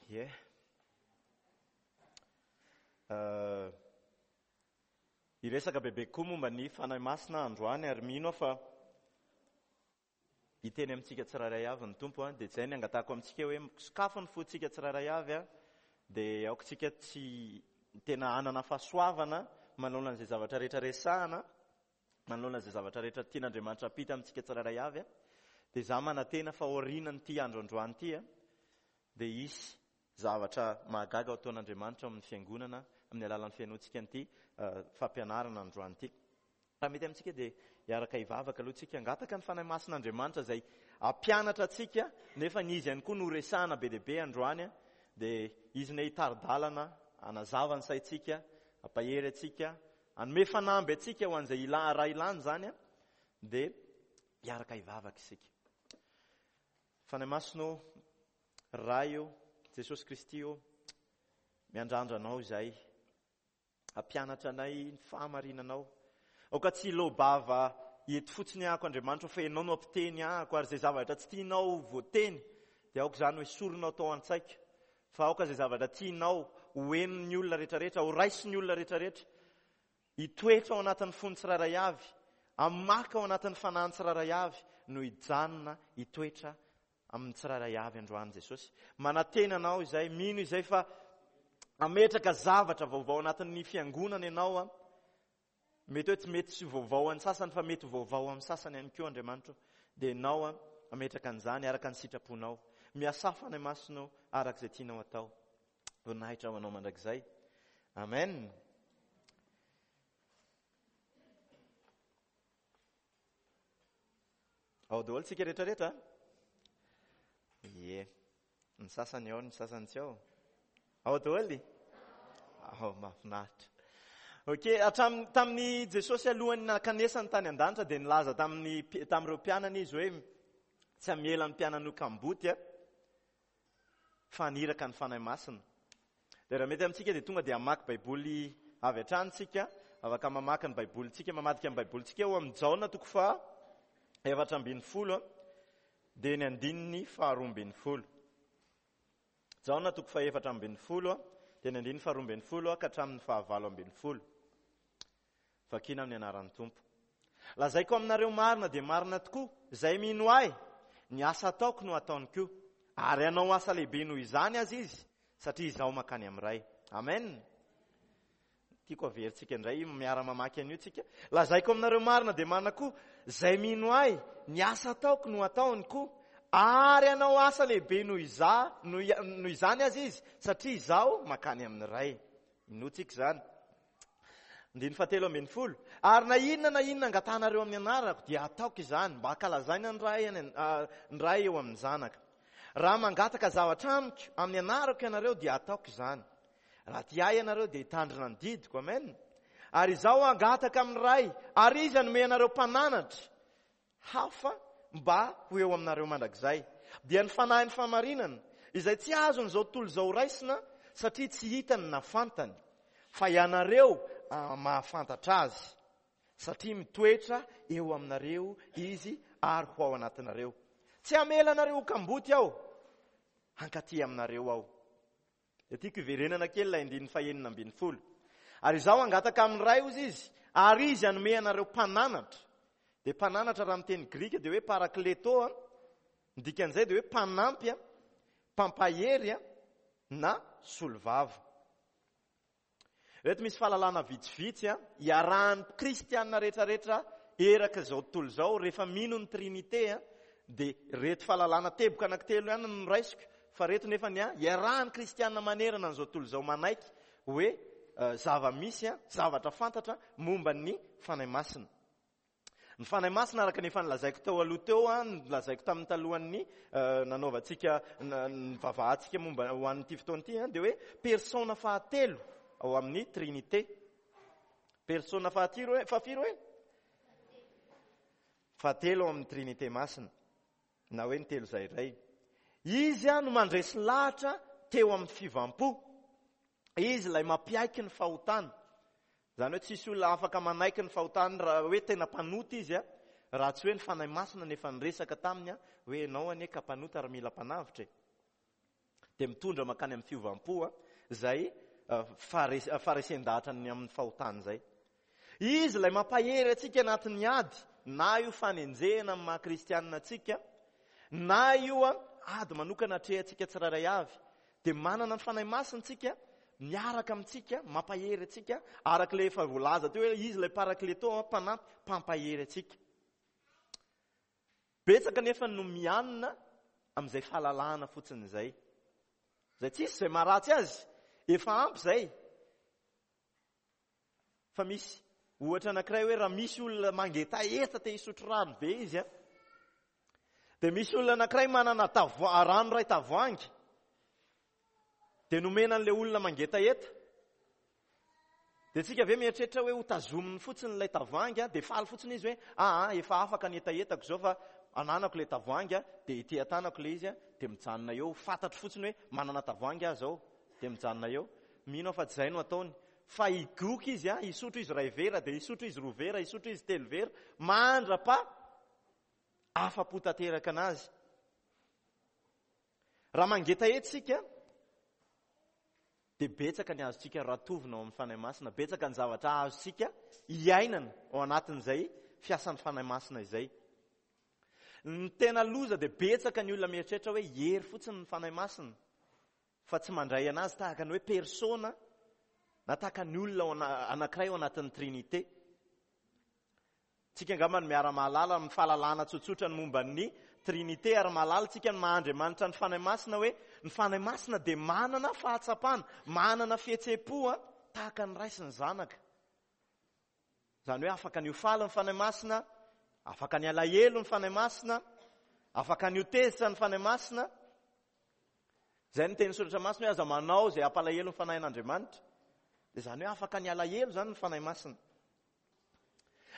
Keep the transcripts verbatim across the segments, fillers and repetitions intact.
Ie. Hiresaka bebe kokoa momba ny Fanahy Masina androany ary mino aho fa hiteny amintsika tsirairay avy ny Tompo, dia izay ny angatahako amintsika hoe sokafo ny fontsika tsirairay avy, dia aoka tsika tsy tena hanana fahasoavana manoloana izay zavatra rehetra resahana, manoloana izay zavatra rehetra tian'Andriamanitra hampita amintsika tsirairay avy. Dia izaho manantena fa aorianan'ity andro androany ity, dia hisy zavatra mahagaga ho ataon'Andriamanitra ao amin'ny fiangonana amin'ny alalan'ny fihainoantsika an'ity fampianarana androany ity. Raha mety amintsika dia hiaraka hivavaka aloha tsika, hangataka ny Fanahy Masin'Andriamanitra izay hampianatra antsika, nefa ny izy ihany koa no resahana be dia be androany, dia izy ne hitari-dalana, hanazava ny saintsika, hampahery antsika, hanome fanamby antsika ho an'izay ila-, raha ilana izany, dia hiaraka hivavaka isika. Fanahy Masina ô, Ray ô, Jesosy Kristy ô, miandrandra anao izay, hampianatra anay ny fahamarinanao. Aoka tsy hilobava eto fotsiny ahako Andriamanitra, fa ianao no hampiteny ahako, ary izay zavatra tsy tianao voateny dia aoka izany ho esorinao tao an-tsaiko, fa aoka izay zavatra tianao ho henon'ny olona rehetrarehetra, ho raisin'ny olona rehetrarehetra, hitoetra ao anatin'ny fony tsirairay avy, hamaka ao anatin'ny fanahiny tsirairay avy, no hijanona hitoetra amin'ny tsirairay avy androany Jesosy. Manantena anao izay, mino izay fa hametraka zavatra vaovao anatin'ny fiangonana ianao. A. Mety hoe tsy mety tsy vaovao amin'ny sasany, fa mety ho vaovao amin'ny sasany ihany koa Andriamanitra. Dia ianao a, hametraka an'izany araka ny sitraponao. Miasà Fanahy Masina araka izay tianao atao. Voninahitra ho anao mandrakizay. Amen. Ao daholo tsika rehetrarehetra? Ie. Ny sasany ao, ny sasany tsy ao. Ao daholo? Ao, mahafinaritra. Ok, hatramin'ny, tamin'ny Jesosy alohan'ny nankanesany tany an-danitra dia nilaza tamin'ny mpi-, tamin'ireo mpianany izy hoe tsy hamela ny mpianany ho kamboty, a, fa haniraka ny Fanahy Masina. Dia raha mety amintsika dia tonga dia hamaky Baiboly avy hatrany tsika, afaka mamaky ny Baibolintsika, mamadika ny Baibolintsika eo amin'ny Jaona toko faha efatra ambin'ny folo, dia ny andininy faharoa ambin'ny folo. Jaona toko faha efatra ambin'ny folo, dia ny andininy faharoa ambin'ny folo ka hatramin'ny fahavalo ambin'ny folo. Vakina amin'ny anaran'ny Tompo. Lazaiko aminareo marina dia marina tokoa, izay mino ahy, ny asa ataoko no ataony koa, ary hanao asa lehibe noho izany aza izy, satria izaho mankany amin'ny Ray. Amen. Tiako averintsika indray, miara-mamaky an'io tsika. Lazaiko aminareo marina dia marina koa, izay mino ahy, ny asa ataoko no ataony koa, ary hanao asa lehibe noho iza-, noho i-, noho izany aza izy, satria izaho mankany amin'ny Ray. Inoantsika izany. Andininy fahatelo ambin'ny folo. Ary na inona na inona angatahanareo amin'ny anarako, dia ataoko izany, mba hankalazaina ny Ray any an-, ah, ny Ray eo amin'ny Zanaka. Raha mangataka zavatra amiko amin'ny anarako ianareo, dia ataoko izany. Raha tia ahy ianareo, dia hitandrina ny didiko. Amen. Ary izaho hangataka amin'ny Ray, ary izy hanome anareo mpananatra hafa mba ho eo aminareo mandrakizay. Dia ny Fanahin'ny fahamarinana, izay tsy azon'izao tontolo izao raisina, satria tsy hitany na fantany, fa ianareo, ah, mahafantatra azy, satria mitoetra eo aminareo izy ary ho ao anatinareo. Tsy hamela anareo ho kamboty aho, hankaty aminareo aho. Dia tiako hiverenana kely ilay andininy fahenina ambin'ny folo. Ary izaho hangataka amin'ny Ray, hozy izy, ary izy hanome anareo mpananatra. Dia mpananatra raha amin'ny teny grika dia hoe parakleto, a. Ny dikan'izay dia hoe mpanampy, a, mpampahery, a, na solovava. Reto misy fahalalana vitsivitsy, a, iarahan'ny kristianina rehetrarehetra eraka izao tontolo izao rehefa mino ny Trinité, a, dia reto fahalalana teboka anankitelo ihany no raisiko, fa reto nefa ny, a, iarahan'ny kristianina manerana an'izao tontolo izao manaiky hoe, eh, zava-misy, a, zavatra fantatra momba ny Fanahy Masina. Ny Fanahy Masina araka ny efa nolazaiko teo aloha teo, a, nolazaiko tamin'ny talohan'ny, eh, nanaovantsika, na-, ny vavahantsika momba ho an'ity fotoana ity, a, dia hoe persona fahatelo ao amin'ny Trinité. Persona fahatelo hoe, fahafiry hoe? Fahatelo ao amin'ny Trinité Masina, na hoe ny telo izay iray. Izy, a, no mandresy lahatra teo amin'ny fiovam-po. Izy ilay mampiaiky ny fahotana. Izany hoe tsisy olona afaka manaiky ny fahotany raha hoe tena mpanota izy, a, raha tsy hoe ny Fanahy Masina nefa niresaka taminy, a, hoe ianao anie ka mpanota ary mila mpanavotra e. Dia mitondra mankany amin'ny fiovam-po izay faharesen-dahatra ny amin'ny fahotana izay. Izy ilay mampahery antsika anatin'ny ady, na io fanenjehana amin'ny maha kristianina antsika, na io ady manokana atrehantsika tsirairay avy. Dia manana ny Fanahy Masina isika miaraka amintsika, mampahery antsika, araka ilay efa voalaza teo hoe izy ilay parakleto, mpanampy, mpampahery antsika. Betsaka nefa no mianina amin'izay fahalalahana fotsiny izay. Izay tsisy izay maharatsy azy, efa ampy izay. Fa misy ohatra anankiray hoe raha misy olona mangetaheta te hisotro rano be izy, dia misy olona anankiray manana tavoa-, rano iray tavoahangy, dia nomena an'ilay olona mangetaheta. Dia tsika ve mieritreritra hoe ho tazominy fotsiny ilay tavoahangy, dia faly fotsiny izy hoe aa efa afaka ny hetahetako izao fa ananako ilay tavoahangy, dia ety an-tanako ilay izy, dia mijanona eo, fantatro fotsiny hoe manana tavoahangy aho izao, dia mijanona eo. Mino aho fa tsy izay no ataony, fa higoka izy, hisotro izy iray vera, dia hisotro izy roa vera, hisotro izy telo vera, mandra-pa afa-po tanteraka anazy. Raha mangetaheta isika, dia betsaka ny azontsika ratovina ao amin'ny Fanahy Masina, betsaka ny zavatra azontsika iainana ao anatin'izay fiasan'ny Fanahy Masina izay. Ny tena loza dia betsaka ny olona mieritreritra hoe hery fotsiny ny Fanahy Masina, fa tsy mandray anazy tahaka ny hoe persona na tahaka ny olona anankiray ao anatin'ny Trinité. Tsika angamba no miara-mahalala amin'ny fahalalana tsotsotra ny momba ny Trinité, ary mahalala tsika ny maha Andriamanitra ny Fanahy Masina hoe ny Fanahy Masina dia manana fahatsapana, manana fihetseham-po tahaka ny Ray sy ny Zanaka. Izany hoe afaka ny ho faly ny Fanahy Masina, afaka ny alahelo ny Fanahy Masina, afaka ny ho tezitra ny Fanahy Masina. Izay ny teny soratra masina hoe aza manao izay hampalahelo ny Fanahin'Andriamanitra. Dia izany hoe afaka ny alahelo izany ny Fanahy Masina.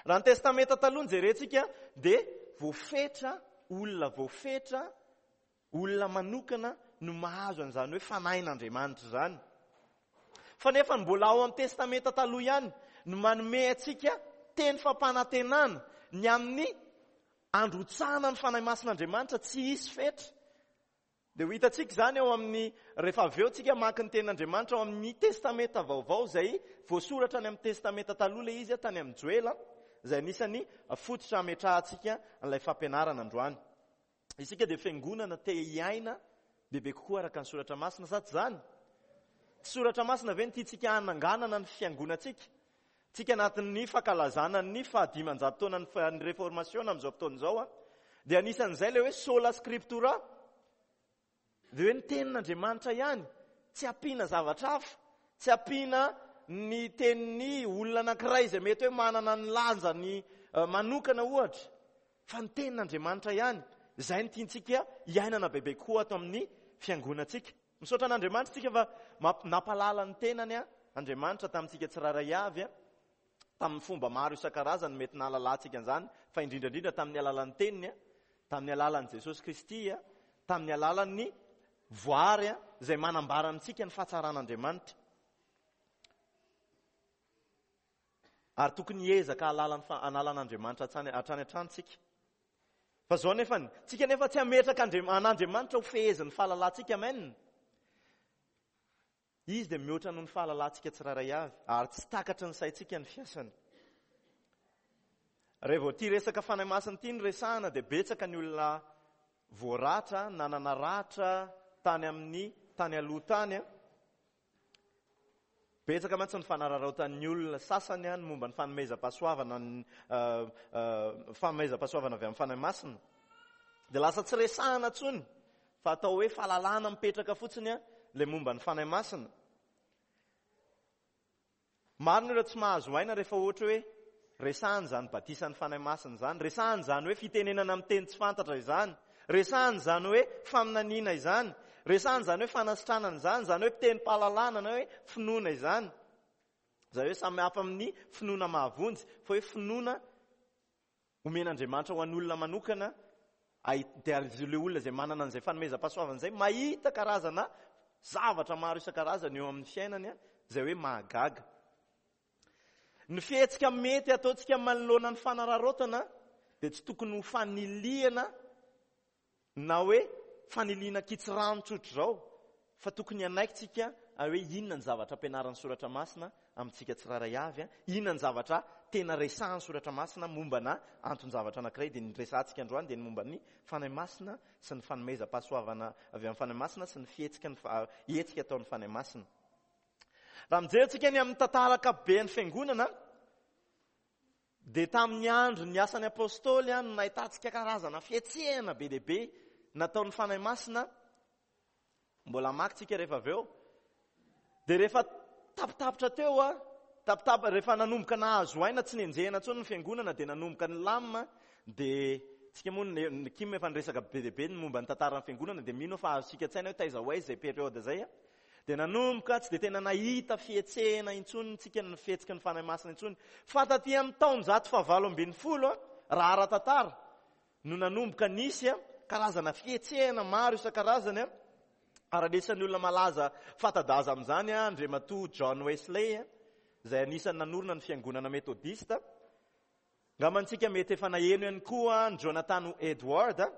Raha ny Testamenta taloha no jerentsika dia voafetra olona, voafetra olona manokana no mahazo an'izany hoe Fanahin'Andriamanitra izany. Fa nefa mbola ao amin'ny Testamenta taloha ihany no manome antsika teny fampanantenana ny amin'ny androtsahana ny Fanahy Masin'Andriamanitra tsy hisy fetra. Dia ho hitantsika izany ao amin'ny, rehefa avy eo tsika mamaky ny tenin'Andriamanitra ao amin'ny Testamenta vaovao izay voasoratra any amin'ny Testamenta taloha ilay izy tany amin'ny Joela, izay anisan'ny fototra hametrahantsika an'ilay fampianarana androany. Isika dia fiangonana te hiaina bebe kokoa araka ny soratra masina, sa tsy izany? Tsy soratra masina ve no tiantsika hananganana ny fiangonantsika? Tsika anatin'ny fankalazana ny fahadimanjato taonan'ny reformasiona amin'izao fotoana izao, dia anisan'izay ilay hoe sola scriptura. Dia hoe ny tenin'Andriamanitra ihany, tsy ampiana zavatra hafa, tsy ampiana ny tenin'ny olona anankiray izay mety hoe manana ny lanjany manokana ohatra, fa ny tenin'Andriamanitra ihany, izay no tiantsika hiainana bebe kokoa ato amin'ny fiangonantsika. Misaotra an'Andriamanitra isika fa nampalala ny tenany Andriamanitra tamintsika tsirairay avy, tamin'ny fomba maro isan-karazany mety nahalalantsika an'izany, fa indrindra indrindra tamin'ny alalan'ny teniny, tamin'ny alalan'i Jesosy Kristy, tamin'ny alalan'ny voary izay manambara amintsika ny fahatsaran'Andriamanitra. Ary tokony hiezaka hahalala ny hanala an'Andriamanitra hatrany hatrany hatrany tsika. Fa zao nefa, tsika nefa tsy hametraka an'Andriamanitra ho fehezin'ny fahalalantsika, amen. Izy dia mihoatra noho ny fahalalantsika tsirairay avy, ary tsy takatry ny saintsika ny fiasany. Raha vao ity resaka Fanahy Masina ity no resahana dia betsaka ny olona voaratra, nanana ratra tany amin'ny tany aloha tany. Betsaka mantsy ny fanararaotan'ny olona sasany ny momba ny fanomezam-pahasoavana ny fanomezam-pahasoavana avy amin'ny Fanahy Masina. Dia lasa tsy resahana intsony fa atao hoe fahalalana mipetraka fotsiny ilay momba ny Fanahy Masina. Maro ny olona tsy mahazo aina rehefa ohatra hoe resahana izany batisan'ny Fanahy Masina izany, resahana izany hoe fitenenana amin'ny teny tsy fantatra izany, resahana izany hoe faminaniana izany, resahana izany hoe fanasitranana izany, izany hoe fitenim-pahalalana na hoe finoana izany. Izany hoe samy hafa amin'ny finoana mahavonjy, fa hoe finoana omen'Andriamanitra ho an'olona manokana, dia ilay olona izay manana an'izay fanomezam-pahasoavana izay mahita karazana zavatra maro isan-karazany eo amin'ny fiainany, izay hoe mahagaga. Ny fihetsika mety ataontsika manoloana ny fanararaotana dia tsy tokony ho fanilihana na hoe fanilihana kitsirano tsotra izao, fa tokony hanaiky tsika hoe inona ny zavatra ampianaran'ny soratra masina amintsika tsirairay avy, inona ny zavatra tena resahan'ny soratra masina momba na anton-javatra anankiray. Dia ny resahantsika androany dia ny momba ny Fanahy Masina sy ny fanomezam-pahasoavana avy amin'ny Fanahy Masina sy ny fihetsika ny fa-, hetsika ataon'ny Fanahy Masina. Raha mijery tsika ny amin'ny tantara ankapoben'ny fiangonana, dia tamin'ny andro ny asan'ny apôstôly no nahitantsika karazana fihetsehana be dia be nataon'ny Fanahy Masina. Mbola hamaky tsika rehefa avy eo. Dia rehefa tapitapitra teo a, tapitap-, rehefa nanomboka nahazo aina tsy nenjehina intsony ny fiangonana, dia nanomboka ny lamina. Dia tsika moa ny, ny Kim efa niresaka be dia be ny momba ny tantaran'ny fiangonana, dia mino fa azontsika an-tsaina hoe taiza ho aiza izay période izay a. Dia nanomboka tsy dia tena nahita fihetsehana intsony tsika, ny fihetsiky ny Fanahy Masina intsony. Fa taty amin'ny taonjato fahavalo ambin'ny folo a, raha ara-tantara no nanomboka nisy a, karazana fihetsehana maro isan-karazany a. Ary anisan'ny olona malaza fanta-daza amin'izany a, Andriamatoa John Wesley a, izay anisan'ny nanorina ny fiangonana metodista. Angamba antsika mety efa naheno ihany koa ny Jonathan Edwards a.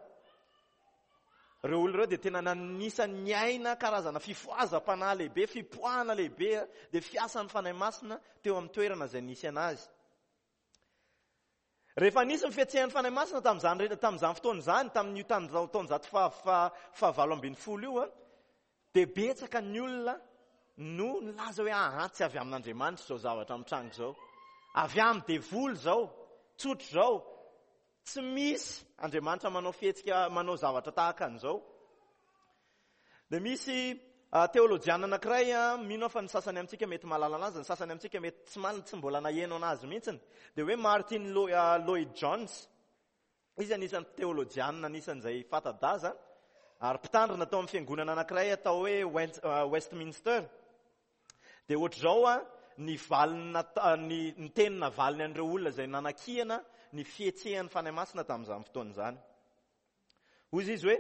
Ireo olona ireo dia tena anisan'ny niaina karazana fifohazam-panahy lehibe, fipoahana lehibe a, dia fiasan'ny Fanahy Masina teo amin'ny toerana izay nisy anazy. Rehefa nisy ny fihetsehan'ny Fanahy Masina tamin'izany re-, tamin'izany fotoana izany, tamin'io taon-, taonjato faha-, faha-, fahavalo ambin'ny folo io a, dia betsaka ny olona no nilaza hoe aha, tsy avy amin'Andriamanitra izao zavatra mitranga izao. Avy amin'ny devoly izao, tsotra izao. Tsy misy Andriamanitra manao fihetsika, manao zavatra tahaka an'izao. Dia misy, ah, teolojiana anankiray, ah, mino aho fa ny sasany amintsika mety mahalala anazy, ny sasany amintsika mety tsy mal-, tsy mbola naheno anazy mihitsiny. Dia hoe Martin Lo-, ah, Lloyd Jones. Izy anisan'ny teolojiana anisan'izay fanta-daza ary mpitandrina tao amin'ny fiangonana anankiray atao hoe West-, ah, Westminster. Dia ohatr'izao, ah, ny valiny nata-, ny, ny teny navaliny an'ireo olona izay nanakihana ny fihetsehan'ny Fanahy Masina tamin'izany fotoana izany. Hoy izy hoe,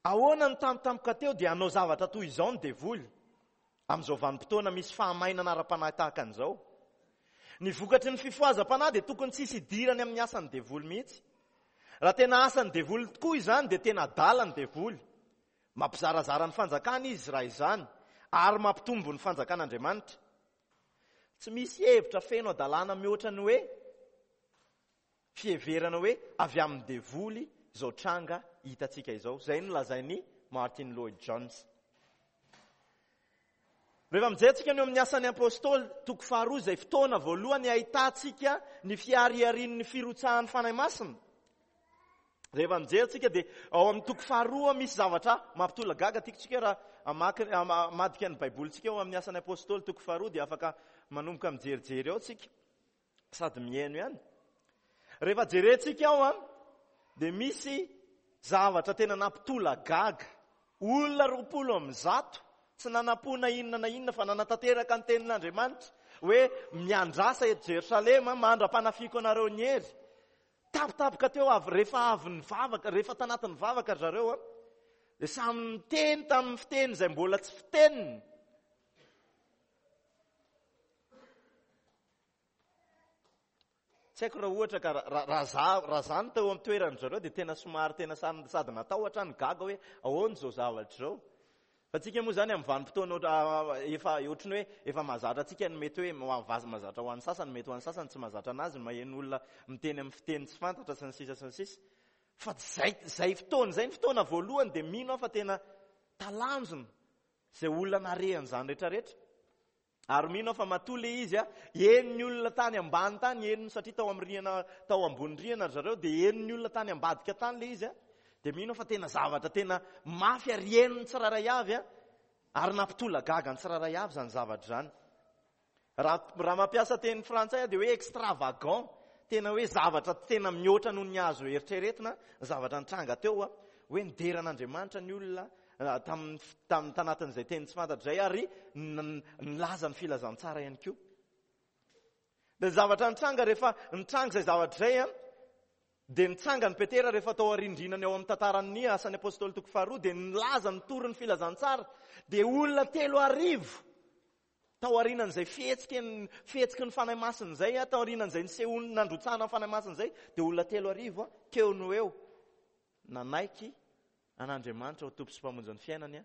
ahoana ny tampotampoka teo dia hanao zavatra toy izao ny devoly amin'izao vanim-potoana misy fahamainana ara-panahy tahaka an'izao. Ny vokatry ny fifohazam-panahy dia tokony tsy hisy idirany amin'ny asan'ny devoly mihitsy. Raha tena asan'ny devoly tokoa izany dia tena adala ny devoly. Mampizarazara ny fanjakana izy raha izany ary mampitombo ny fanjakan'Andriamanitra. Tsy misy hevitra feno adalàna mihoatra ny hoe fiheverana hoe avy amin'ny devoly izao tranga hitantsika izao. Izay no lazain'i Martin Lloyd Jones. Rehefa mijery tsika ny eo amin'ny asan'ny apôstôly toko faharoa, izay fotoana voalohany ahitantsika ny fihariharian'ny firotsahan'ny Fanahy Masina. Rehefa mijery tsika dia ao amin'ny toko faharoa misy zavatra mampitolagaga. Tiako tsika raha hamaky, hama-, hamadika ny Baibolintsika ao amin'ny asan'ny apôstôly toko faharoa dia afaka manomboka mijerijery ao tsika sady mihaino ihany. Rehefa jerentsika ao a, dia misy zavatra tena nampitolagaga. Olona roapolo amby zato tsy nanam-po na inona na inona fa nanatanteraka ny tenin'Andriamanitra hoe miandrasa eto Jerosalema mandra-panafiako anareo ny hery. Tapitapoka teo avy rehefa avy nivavaka, rehefa tanatin'ny vavaka ry zareo a, dia samy niteny tamin'ny fiteny izay mbola tsy fiteniny. Tsy haiko raha ohatra ka ra-, ra-, raha za, raha za no teo amin'ny toeran-dry zareo dia tena somary tena samy, sady natahotra no gaga hoe ahoana izao zavatra izao. Fa tsika moa zany amin'ny vanim-potoana ohatra, ah, efa ohatran'ny hoe efa mahazatra antsika ny mety hoe ma-, vaz-, mahazatra ho an'ny sasany, mety ho an'ny sasany tsy mahazatra anazy, maheno olona miteny amin'ny fiteny tsy fantatra sy ny sisa sy ny sisa. Fa zay, zay fotoana izay ny fotoana voalohany dia mino aho fa tena talanjona izay olona narehan'izany rehetrarehetra. Ary mino aho fa matoa ilay izy a, henon'ny olona tany ambany tany, henony satria tao amin'ny rihana, tao ambony rihana ry zareo, dia henon'ny olona tany ambadika tany ilay izy a, dia mino aho fa tena zavatra tena mafy ary henon'ny tsirairay avy a, ary nampitolagaga ny tsirairay avy izany zavatra izany. Raha, raha mampiasa teny frantsay aho dia hoe extravagant, tena hoe zavatra tena mihoatra noho ny azo eritreretina, zavatra nitranga teo a, hoe nidera an'Andriamanitra ny olona, ah, tamin'ny f-, tamin'ny tanatin'izay teny tsy fantatra izay ary n-, n-, nilaza ny filazantsara ihany koa. Dia zavatra nitranga rehefa nitranga izay zavatra izay a, dia nitsangana Petera rehefa tao arindrinany ao amin'ny tantaran'ny asan'ny apôstôly toko faharoa, dia nilaza nitory ny filazantsara, dia olona telo arivo tao aorianan'izay fihetsiky ny, fihetsiky ny Fanahy Masina izay, a, tao aorianan'izay nisehoany nandrotsahana ny Fanahy Masina izay, dia olona telo arivo, a, teo no eo nanaiky an'Andriamanitra ho Tompo sy Mpamonjy ny fiainany, a,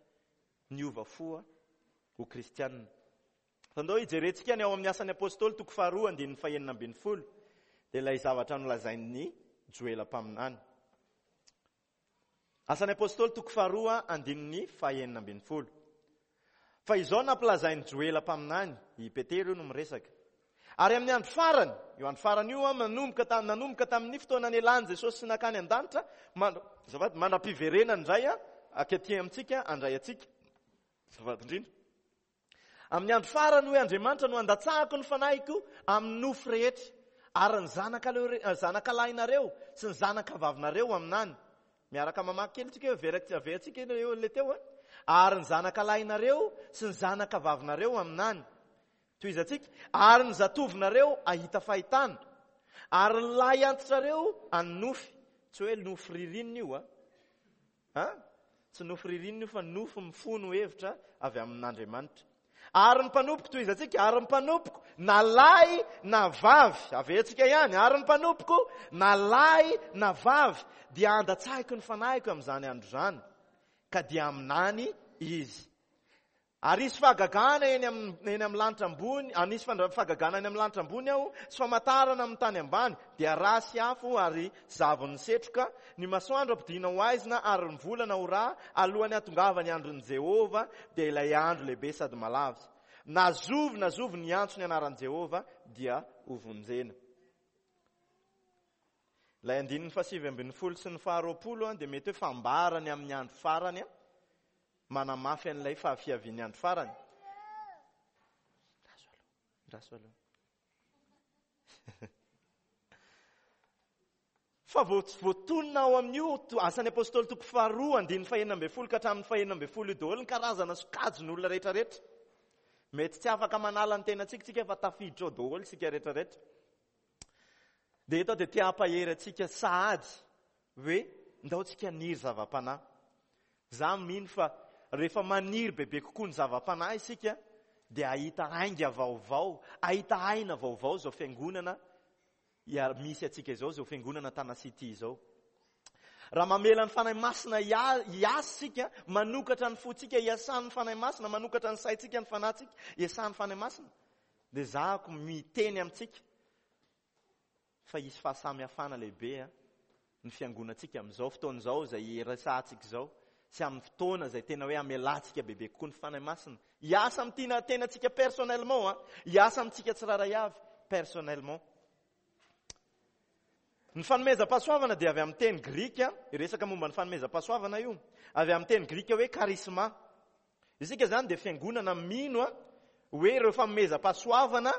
niova fo ho kristianina. Fa ndao hijerentsika ny ao amin'ny Asan'ny Apôstôly toko faharoa andininy fahenina ambin'ny folo, dia ilay zavatra nolazain'ny Joela mpaminany. Asan'ny Apôstôly toko faharoa andininy fahenina ambin'ny folo. Fa izao nampilazain'ny Joela mpaminany, i Petera io no miresaka. Ary amin'ny andro farany, io andro farany io a manomboka ta- nanomboka tamin'ny fotoana nialan'i Jesosy sy nakany an-danitra, mandra- azafady, mandra-piverenany indray a akaty amintsika, andray antsika. Azafady indrindra. Amin'ny andro farany hoe Andriamanitra no andatsahako ny fanahiko amin'ny nofo rehetra, ary ny zanaka leo- zanaka lahinareo sy ny zanaka vavinareo aminany. Miaraka mamaky kely tsika hoe verak- aveantsika eo le teo a. Ary ny zanaka lahinareo sy ny zanaka vavinareo aminany. Tohizantsika, ary ny zatovinareo ahita fahitana, ary ny lahy antitrareo hanonofy. Tsy hoe nofy ririnina io a. Ha? Tsy nofy ririnina io fa nofy mifono hevitra avy amin'Andriamanitra. Ary ny mpanompoko, tohizantsika, ary ny mpanompoko na lahy na vavy, aveantsika ihany, ary ny mpanompoko na lahy na vavy dia andatsahiko ny fanahiko amin'izany andro izany, ka dia aminany izy. Ary hisy fahagagana eny amin'ny eny amin'ny lanitra ambony, anisy fandra- fahagagana eny amin'ny lanitra ambony aho, sy famantarana amin'ny tany ambany, dia rà sy afo ary zavon'ny setroka, ny masoandro ampidina ho aizina ary ny volana ho rà, alohan'ny hatongavan'ny andron'i Jehovah, dia ilay andro lehibe sady malaza. Na zovy na zovy ny antso ny anaran'i Jehovah dia ho vonjena. Ilay andininy fahasivy ambin'ny folo sy ny faharoapolo a dia mety hoe fambarany amin'ny andro farany a manamafy an'ilay fahafiavian'ny andro farany. Raso aloha, raso aloha. Fa vo- voatonona ao amin'io to- Asan'ny Apôstôly toko faharoa andininy fahenina ambin'ny folo ka hatramin'ny fahenina ambin'ny folo io daholo ny karazana sokajin'olona rehetrarehetra. Mety tsy afaka manala ny tenantsika tsika fa tafiditra ao daholo isika rehetrarehetra. Dia eto dia te hampahery antsika sahady hoe ndao tsika haniry zava-panahy. Za mino fa rehefa maniry bebe kokoa ny zava-panahy isika dia hahita ainga vaovao, hahita aina vaovao izao fiangonana ia- misy antsika izao, izao fiangonana Tana City izao. Raha mamela ny Fanahy Masina hia- hiasa isika, manokatra ny fontsika hiasan'ny Fanahy Masina, manokatra ny saintsika, ny fanahintsika hiasan'ny Fanahy Masina, dia zahako miteny amintsika fa hisy fahasamihafana lehibe a ny fiangonantsika amin'izao fotoana izao izay iresahantsika izao, sy amin'ny fotoana izay tena hoe amelantsika bebe kokoa ny Fanahy Masina hiasa amin'ny tiana tenantsika personnellement a, hiasa amintsika tsirairay avy personnellement. Ny fanomezam-pahasoavana dia avy amin'ny teny grika, resaka momba ny fanomezam-pahasoavana io, avy amin'ny teny grika hoe charisma. Isika zany dia fiangonana mino a hoe ireo fanomezam-pahasoavana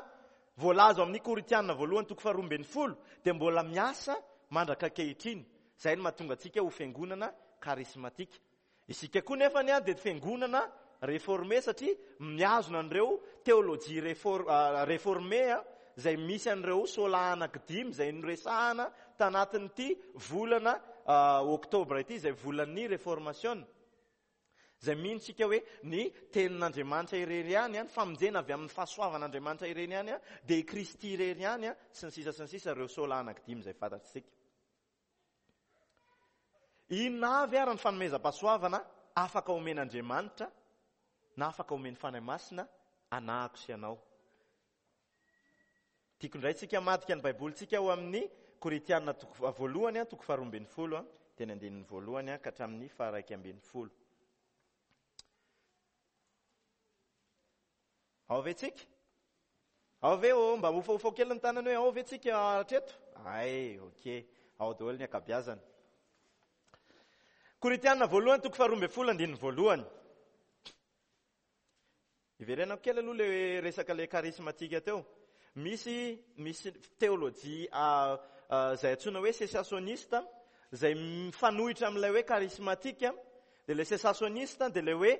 voalaza amin'ny Korintiana voalohany toko faharoa ambin'ny folo dia mbola miasa mandraka ankehitriny. Izay no mahatonga antsika ho fiangonana karismatika. Isika koa nefa ny a dia fiangonana réformé satria mihazona an'ireo théologie réfor- ah, réformé a, izay misy an'ireo sola anankidimy izay noresahana tanatin'ity volana, ah, oktobra ity, izay volan'ny réformation. Izay mino tsika hoe ny tenin'Andriamanitra irery ihany, ny famonjena avy amin'ny fahasoavan'Andriamanitra irery ihany, dia i Kristy irery ihany, sy ny sisa sy ny sisa, ireo sola anankidimy izay fantatsika. Inona avy ary ny fanomezam-pahasoavana afaka omen'Andriamanitra na afaka omen'ny Fanahy Masina anahako sy anao? Tiako indray tsika hamadika ny Baibolintsika ao amin'ny Korintiana toko voalohany, toko faharoa ambin'ny folo, teny andininy voalohany ka hatramin'ny faharaika ambin'ny folo. Ao ve tsika? Ao ve ô? Mba hofahofa kely ny tanana hoe ao ve tsika hatreto? Ay, ok. Ao daholo ny ankabeazany. Korintiana voalohany toko faharoa ambin'ny folo andininy voalohany. Iverenako kely aloha le resaka le charismatique teo. Misy, misy théologie, ah, ah, izay antsoina hoe cessationniste, izay mifanohitra amin'ilay hoe charismatique. Dia ilay cessationniste dia ilay hoe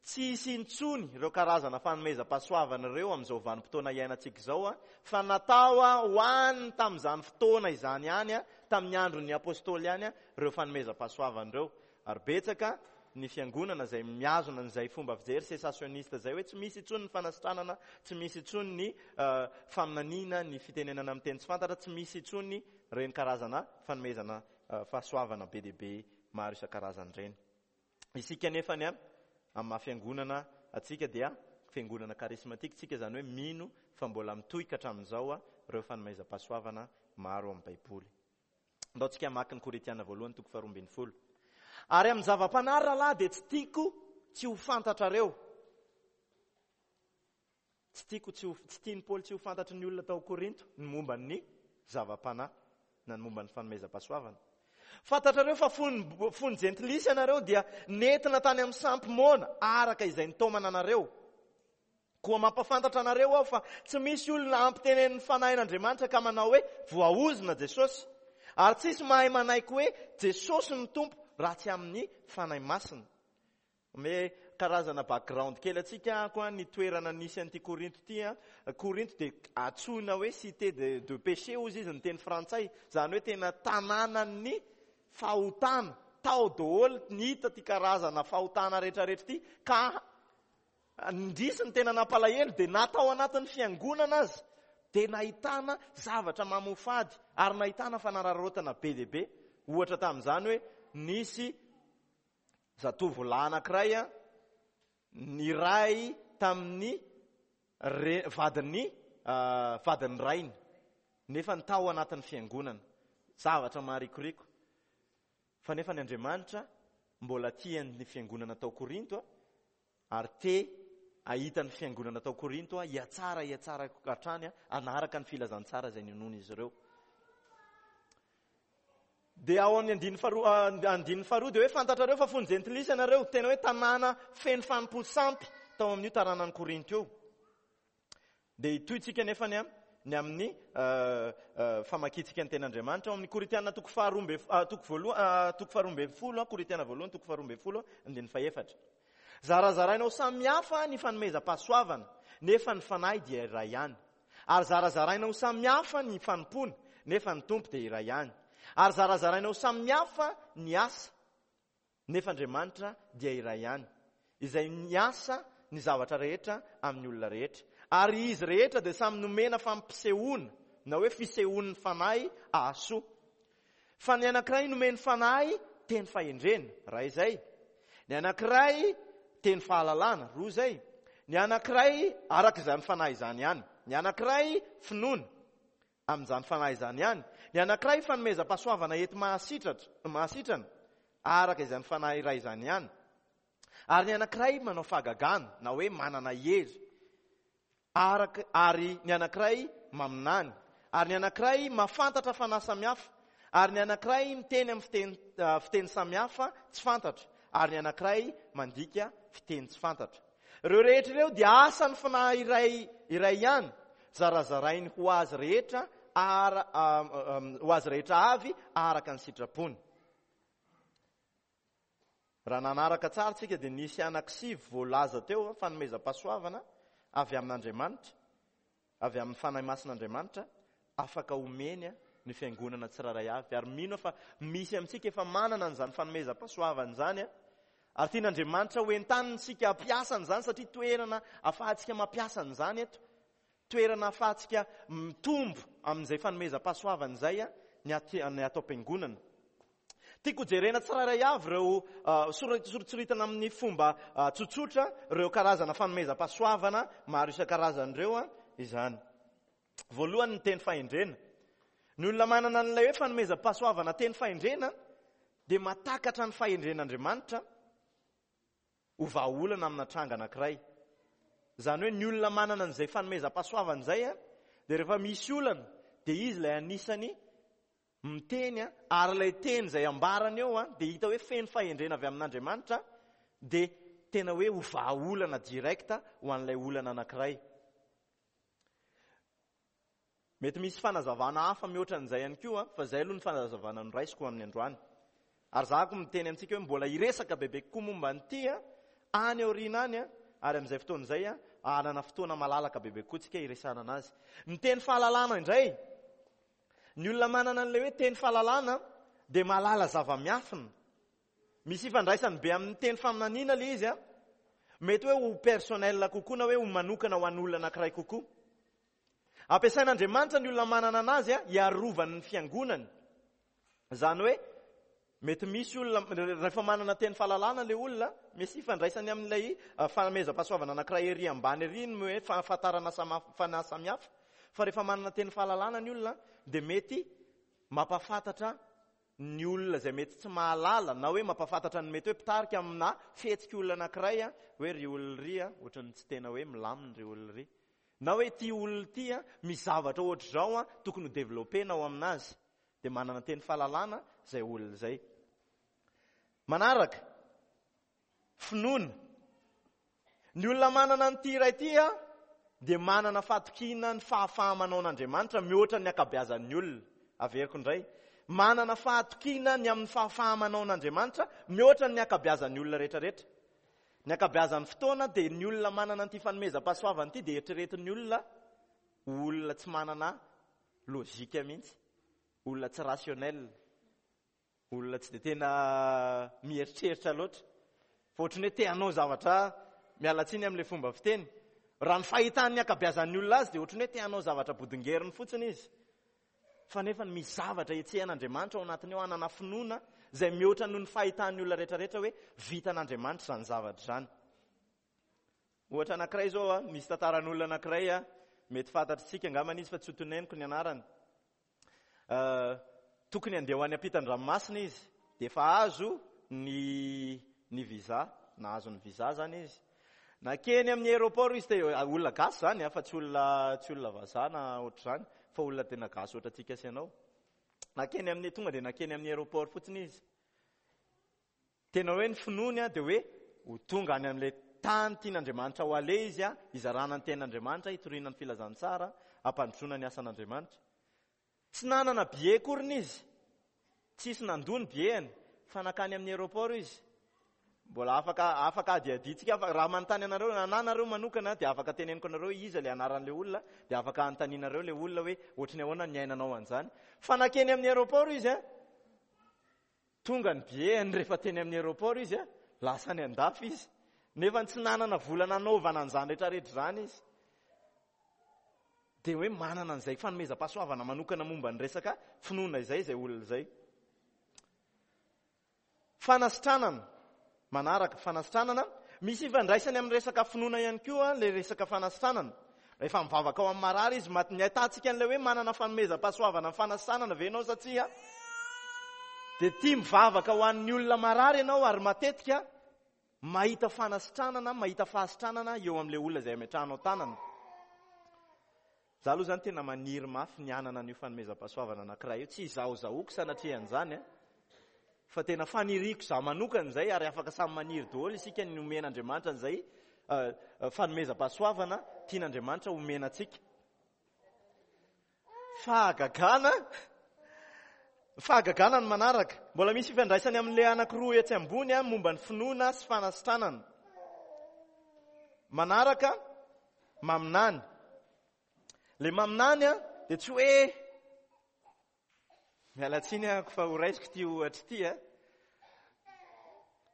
tsy hisy intsony ireo karazana fanomezam-pahasoavana ireo amin'izao vanim-potoana iainantsika izao, a, fa natao ho an'ny tamin'izany fotoana izany ihany, a, tamin'ny andron'ny apôstôly ihany, a, ireo fanomezam-pahasoavana ireo. Ary betsaka ny fiangonana izay mihazona an'izay fomba fijery cessationniste izay hoe tsy misy intsony ny fanasitranana, tsy misy intsony ny, eh, faminaniana, ny fitenenana amin'ny teny tsy fantatra, tsy misy intsony ireny karazana fanomezana, eh, fahasoavana be dia be maro isan-karazany ireny. Isika nefa ny a Amin'ny maha fiangonana antsika dia fiangonana karismatika tsika, izany hoe mino fa mbola mitohy ka hatramin'izao ireo fanomezam-pahasoavana maro amin'ny Baiboly. Andao tsika hamaky ny Korintiana voalohany toko faharoa ambin'ny folo. Ary amin'ny zava-panahy rahalahy dia tsy tiako tsy ho fantatrareo. Tsy tiako tsy ho, tsy tian'i Paoly tsy ho fantatry ny olona tao Korinto ny momba ny zava-panahy na ny momba ny fanomezam-pahasoavana. Fantatrareo fa fony, fony jentilisa ianareo dia nentina tany amin'ny sampy moana araka izay nitaomana anareo. Koa mampahafantatra anareo aho fa tsy misy olona ampitenenin'ny fanahin'Andriamanitra ka manao hoe voaozona Jesosy. Ary tsisy mahay manaiky hoe Jesosy no Tompo raha tsy amin'ny Fanahy Masina. Ome karazana background kely antsika koa ny toerana nisy an'ity Korinto ity. Korinto dia antsoina hoe cité de, de péché hozy izy ny teny frantsay. Izany hoe tena tanànan'ny fahotana. Tao daholo ny hita ty karazana fahotana rehetrarehetra ity. Ka indrisy ny tena nampalahelo dia na tao anatin'ny fiangonana azy dia nahitana zavatra mamofady ary nahitana fanararaotana be dia be. Ohatra tamin'izany hoe nisy zatovolahy anankiray a, niray tamin'ny re-, vadin'ny, ah, vadin'ny rainy, nefa ny tao anatin'ny fiangonana. Zavatra maharikoriko. Fa nefa ny Andriamanitra mbola tia ny fiangonana tao Korinto a, ary te ahita ny fiangonana tao Korinto a, hiatsara, hiatsara hatrany a, hanaraka ny filazantsara izay ninoan'izy ireo. Dia ao amin'ny andininy faharoa, andininy faharoa dia hoe fantatrareo fa fony jentilisa ianareo, tena hoe tanàna feno fanompo sampy tao amin'io tanànan'i Korinto io. Dia hitohitsika nefa ny am-, ny amin'ny, euh, euh, famakintsika ny tenin'Andriamanitra ao amin'ny Korintiana toko faharoa amby, ah, toko voalohany, ah, toko faharoa ambin'ny folo, ah, Korintiana voalohany toko faharoa ambin'ny folo, andininy fahefatra. Zarazaraina ho samihafa ny fanomezam-pahasoavana, nefa ny fanahy dia iray ihany. Ary zarazaraina ho samihafa ny fanompoana, nefa ny Tompo dia iray ihany. Ary zarazaraina ho samihafa ny asa, nefa Andriamanitra dia iray ihany, izay miasa ny zavatra rehetra amin'ny olona rehetra. Ary izy rehetra dia samy nomena fampisehoana, na hoe fisehoan'ny fanahy ahasoa. Fa ny anankiray nomeny fanahy teny fahendrena, iray izay. Ny anankiray teny fahalalana, roa izay. Ny anankiray araka izany fanahy izany ihany. Ny anankiray finoana amin'izany fanahy izany ihany. Ny anankiray fanomezam-pahasoavana ety mahasitratra, mahasitrana araka izany fanahy iray izany ihany. Ary ny anankiray manao fahagagana, na hoe manana hery. Araka, ary ny anankiray maminany. Ary ny anankiray mahafantatra fanahy samihafa. Ary ny anankiray miteny amin'ny fiteny, ah, fiteny samihafa tsy fantatra. Ary ny anankiray mandika fiteny tsy fantatra. Ireo rehetra ireo dia asan'ny fanahy iray, iray ihany, zarazarainy ho azy rehetra, ara, ah, ah, ho azy rehetra avy araka ny sitrapony. Raha nanaraka tsara tsika dia nisy anankisivy voalaza teo fanomezam-pahasoavana avy amin'Andriamanitra, avy amin'ny Fanahy Masin'Andriamanitra, afaka omeny ny fiangonana tsirairay avy. Ary mino aho fa misy amintsika efa manana an'izany fanomezam-pahasoavana izany. Ary tian'Andriamanitra ho entaniny isika hampiasa an'izany, satria toerana ahafahantsika mampiasa an'izany eto. Toerana ahafahantsika mitombo amin'izay fanomezam-pahasoavana izay ny aty, ny ato am-piangonana. Tiako jerena tsirairay avy ireo, ah, sora-, soritsoritana amin'ny fomba, ah, tsotsotra ireo karazana fanomezam-pahasoavana maro isan-karazany ireo, ah, izany. Voalohany ny teny fahendrena. Ny olona manana an'ilay hoe fanomezam-pahasoavana teny fahendrena dia mahatakatra ny fahendren'Andriamanitra ho vahaolana amina tranga anankiray. Izany hoe ny olona manana an'izay fanomezam-pahasoavana izay, ah, dia rehefa misy olana dia izy ilay anisany miteny, ah, ary ilay teny izay ambarany eo, ah, dia hita hoe feno fahendrena avy amin'Andriamanitra, dia tena hoe ho vahaolana direct ho an'ilay olana anankiray. Mety misy fanazavana hafa mihoatra an'izay ihany koa, fa izay aloha ny fanazavana noraisiko amin'ny androany. Ary za koa miteny amintsika hoe mbola hiresaka bebe kokoa momba an'ity, ah, any aoriana any, ah, ary amin'izay fotoana izay, ah, hanana fotoana malalaka bebe kokoa tsika hiresahana anazy. Ny teny fahalalana indray, ny olona manana an'ilay hoe teny fahalalana dia mahalala zava-miafina. Misy ifandraisany be amin'ny teny faminaniana ilay izy, ah. Mety hoe ho personnel kokoa na hoe ho manokana ho an'olona anankiray kokoa. Ampiasain'Andriamanitra ny olona manana anazy, ah, hiarovany ny fiangonany. Izany hoe Mety misy olona, rehefa manana teny fahalalana ilay olona, misy ifandraisany amin'ilay fanomezam-pahasoavana anankiray ery ambany ery ny hoe fahafantarana fanahy samihafa. Fa rehefa manana teny fahalalana ny olona, dia mety mampahafantatra ny olona izay mety tsy mahalala, na hoe mampahafantatra ny mety hoe mpitarika amina fihetsika olona anankiray, hoe ry olona ry, ohatran'ny tsy tena hoe milamina ry olona ry. Na hoe ity olona ity, misy zavatra ohatr'izao tokony ho développena ao aminazy. Dia manana teny fahalalana izay olona izay. Manaraka, finoana. Ny olona manana an'ity iray ity dia manana fahatokiana ny fahafaha-manaon'Andriamanitra mihoatra ny ankabeazan'ny olona. Averiko indray. Manana fahatokiana ny amin'ny fahafaha-manaon'Andriamanitra mihoatra ny ankabeazan'ny olona rehetrarehetra. Ny ankabeazan'ny fotoana dia ny olona manana an'ity fanomezam-pahasoavana ity dia eritreretin'ny olona ho olona tsy manana logika mihitsy, olona tsy rationnel, olona tsy dia tena mieritreritra loatra. Fa ohatran'ny hoe te hanao zavatra, miala tsiny amin'ilay fomba fiteny. Raha ny fahitan'ny ankabeazan'ny olona azy dia ohatran'ny hoe te hanao zavatra bodongeriny fotsiny izy. Fa nefa misy zavatra hetsehan'Andriamanitra ao anatiny ao, hanana finoana izay mihoatra noho ny fahitan'ny olona rehetrarehetra hoe vitan'Andriamanitra izany zavatra izany. Ohatra anankiray izao, a, misy tantaran'olona anankiray, a, mety fantatritsika angambany izy fa tsy ho toneniko ny anarany. Uh, tokony handeha ho any ampitan-dranomasina izy, dia efa azo ny, ny visa, nahazo ny visa zany izy. Nakeny amin'ny aéroport izy, te olona gasy zany, fa tsy olona, tsy olona vazaha na ohatr'izany, fa olona tena gasy ohatrantsika sy ianao. Nakeny amin'ny, tonga dia nakeny amin'ny aéroport fotsiny izy. Tena hoe ny finoany dia hoe ho tonga any amin'ilay tany tian'Andriamanitra ho aleha izy, hizarana ny tenin'Andriamanitra, hitoriana ny filazantsara, hampandrosoana ny asan'Andriamanitra. Tsy nanana billet akory izy, tsisy nandoa ny billet-ny, fa nakany amin'ny aéroport izy. Mbola afaka, afaka adiaditsika, fa raha manontany anareo, na anareo manokana, dia afaka teneniko anareo iza ilay anaran'ilay olona, dia afaka anontanianareo ilay olona hoe ohatry ny ahoana ny niainanao an'izany. Fa nakeny amin'ny aéroport izy, tonga ny billet-ny rehefa teny amin'ny aéroport izy, lasa any an-dafy izy. Nefa tsy nanana vola nanaovana an'izany rehetrarehetra izany izy. Dia hoe manana an'izay fanomezam-pahasoavana manokana momba ny resaka finoana izay izay olona izay. Fanasitranana, manaraka fanasitranana, misy ifandraisany amin'ny resaka finoana ihany koa ilay resaka fanasitranana. Rehefa mivavaka ao amin'ny marary izy, ny ahitantsika an'ilay hoe manana fanomezam-pahasoavana ny fanasitranana ve ianao sa tsia? Dia tia mivavaka ho an'ny olona marary ianao ary matetika mahita fanasitranana, mahita fahasitranana eo amin'ilay olona izay ametrahanao tanana. Za aloha zany tena maniry mafy ny hanana an'io fanomezam-pahasoavana anankiray io. Tsy izahozahoako sanatria an'izany, fa tena faniriako za manokana izay, ary afaka samy maniry daholo isika ny omen'Andriamanitra an'izay fanomezam-pahasoavana tian'Andriamanitra omena antsika. Fahagagana, fahagagana ny manaraka. Mbola misy fifandraisany amin'ilay anankiroa etsy ambony momba ny finoana sy fanasitranana. Manaraka, maminany. Le maminany a dia tsy hoe miala tsiny ahako fa ho raisiko ity ohatra ity a.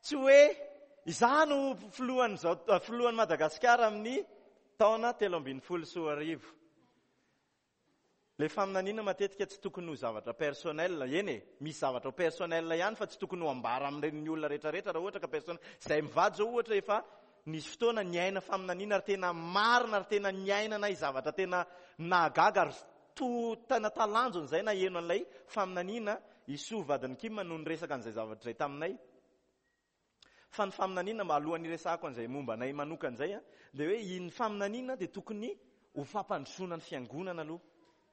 Tsy hoe izaho no filohan'izao, filohan'i Madagasikara amin'ny taona telo ambin'ny folo sy roa arivo. Le faminaniana matetika tsy tokony ho zavatra personnel, eny e, misy zavatra personnel ihany fa tsy tokony ho ambara amin'ireny olona rehetrarehetra raha ohatra ka personnel. Izay mivady zao ohatra efa nisy fotoana niaina faminaniana ary tena marina ary tena niainana zavatra tena nahagaga ary to tena talanjona izay naheno an'ilay faminaniana. Isoa vadin'i Kim no niresaka an'izay zavatra izay taminay. Fa ny faminaniana, mba alohan'ny hiresahako an'izay momba anay manokana izay, dia hoe iny faminaniana dia tokony ho fampandrosoana ny fiangonana aloha.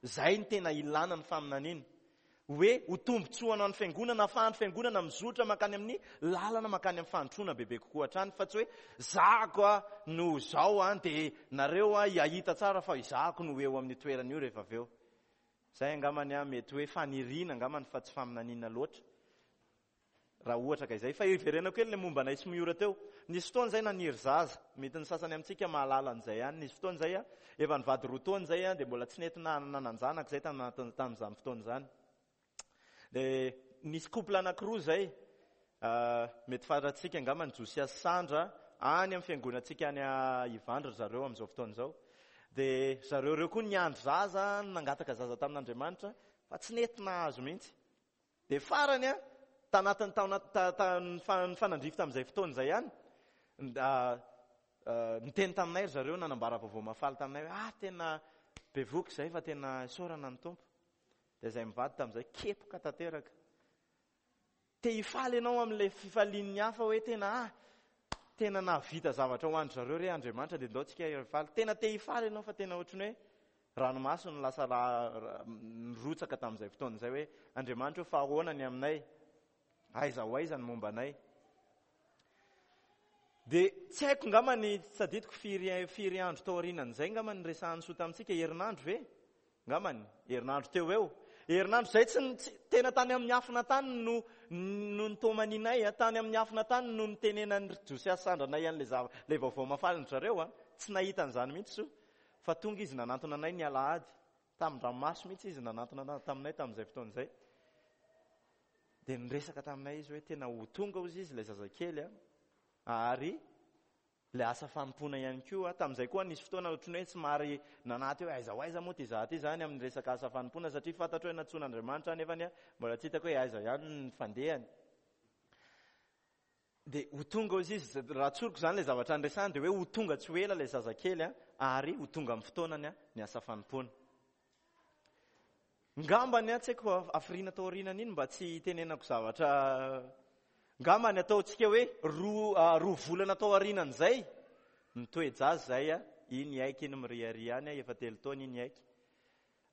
Izay ny tena ilana ny faminaniana. Hoe ho tombontsoana ny fiangonana, ahafahan'ny fiangonana mizotra mankany amin'ny lalana, mankany amin'ny fahandrosoana bebe kokoa hatrany, fa tsy hoe zahako a no zao a, dia nareo a hahita tsara fa izahako no eo amin'ny toerana io rehefa avy eo. Izay angambany a mety hoe faniriana angambany fa tsy faminaniana loatra. Raha ohatra ka izay. Fa hiverenako kely ilay momba anay sy Miora teo. Nisy fotoana izay naniry zaza. Mety ny sasany amintsika mahalala an'izay ihany. Nisy fotoana izay a, efa nivady roa taona izay a, dia mbola tsy nety nanan-janaka izay tamin'izany fotoana izany. Dia nisy couple anankiroa izay, mety fantatsika angamba ny Josia sy Sandra, any amin'ny fiangonantsika any Ivandry ry zareo amin'izao fotoana izao. Dia zareo ireo koa niandry zaza, nangataka zaza tamin'Andriamanitra, fa tsy nety nahazo mihitsy. Dia farany a, Tanatin'ny taona nifanandrify tamin'izay fotoana izay ihany, niteny taminay ry zareo, nanambara vaovao mahafaly taminay hoe ah tena bevoky izay fa tena isaorana ny Tompo. Dia izay mivady tamin'izay kepoka tanteraka. Te hifaly ianao amin'ilay fifalian'ny hafa hoe tena ah tena nahavita zavatra ho an-dry zareo re Andriamanitra, dia ndao tsika hifaly. Tena te hifaly ianao fa tena ohatran'ny hoe ranomaso no lasa nirotsaka tamin'izay fotoana izay hoe Andriamanitra io fa ahoana ny aminay, aiza ho aiza ny momba anay. Dia tsy haiko ngamba ny tsadidiko firy firy andro tao aorianan'izay ngamba ny resahan'ny soa tamintsika, herinandro ve? Ngambany herinandro teo eo. Herinandro izay tsy tena tany amin'ny afina tany no no nitomaninay, tany amin'ny afina tany no nitenenan'ny Josiasy sandranay an'ilay zava ilay vaovao mahafaly ny zareo a. Tsy nahita an'izany mihitsy soa. Fa tonga izy nanantona anay ny alahady, tamin-dranomaso mihitsy izy nanantona taminay tamin'izay fotoana izay. Dia niresaka taminay izy hoe tena ho tonga hozy izy ilay zazakely a, ary ilay asa fanompoana ihany koa. Tamin'izay koa nisy fotoana ohatran'ny hoe somary nanaty hoe aiza ho aiza moa ty zaho ty zany amin'ny resaka asa fanompoana, satria fantatro hoe nantsoin'Andriamanitra nefa ny mbola tsy hitako hoe aiza ihany ny fandehany. Dia ho tonga hozy izy, raha tsoriko izany ilay zavatra niresahany dia hoe ho tonga tsy ho ela ilay zazakely a, ary ho tonga amin'ny fotoanany ny asa fanompoana. Ngambany a, tsy haiko hafiriana tao aorianan'iny mba tsy hitenenako zavatra. Ngambany ataontsika hoe roa roa volana tao aorianan'izay nitoe-jaza izay a, iny aiky iny miriaria any a, efa telo taona iny aiky.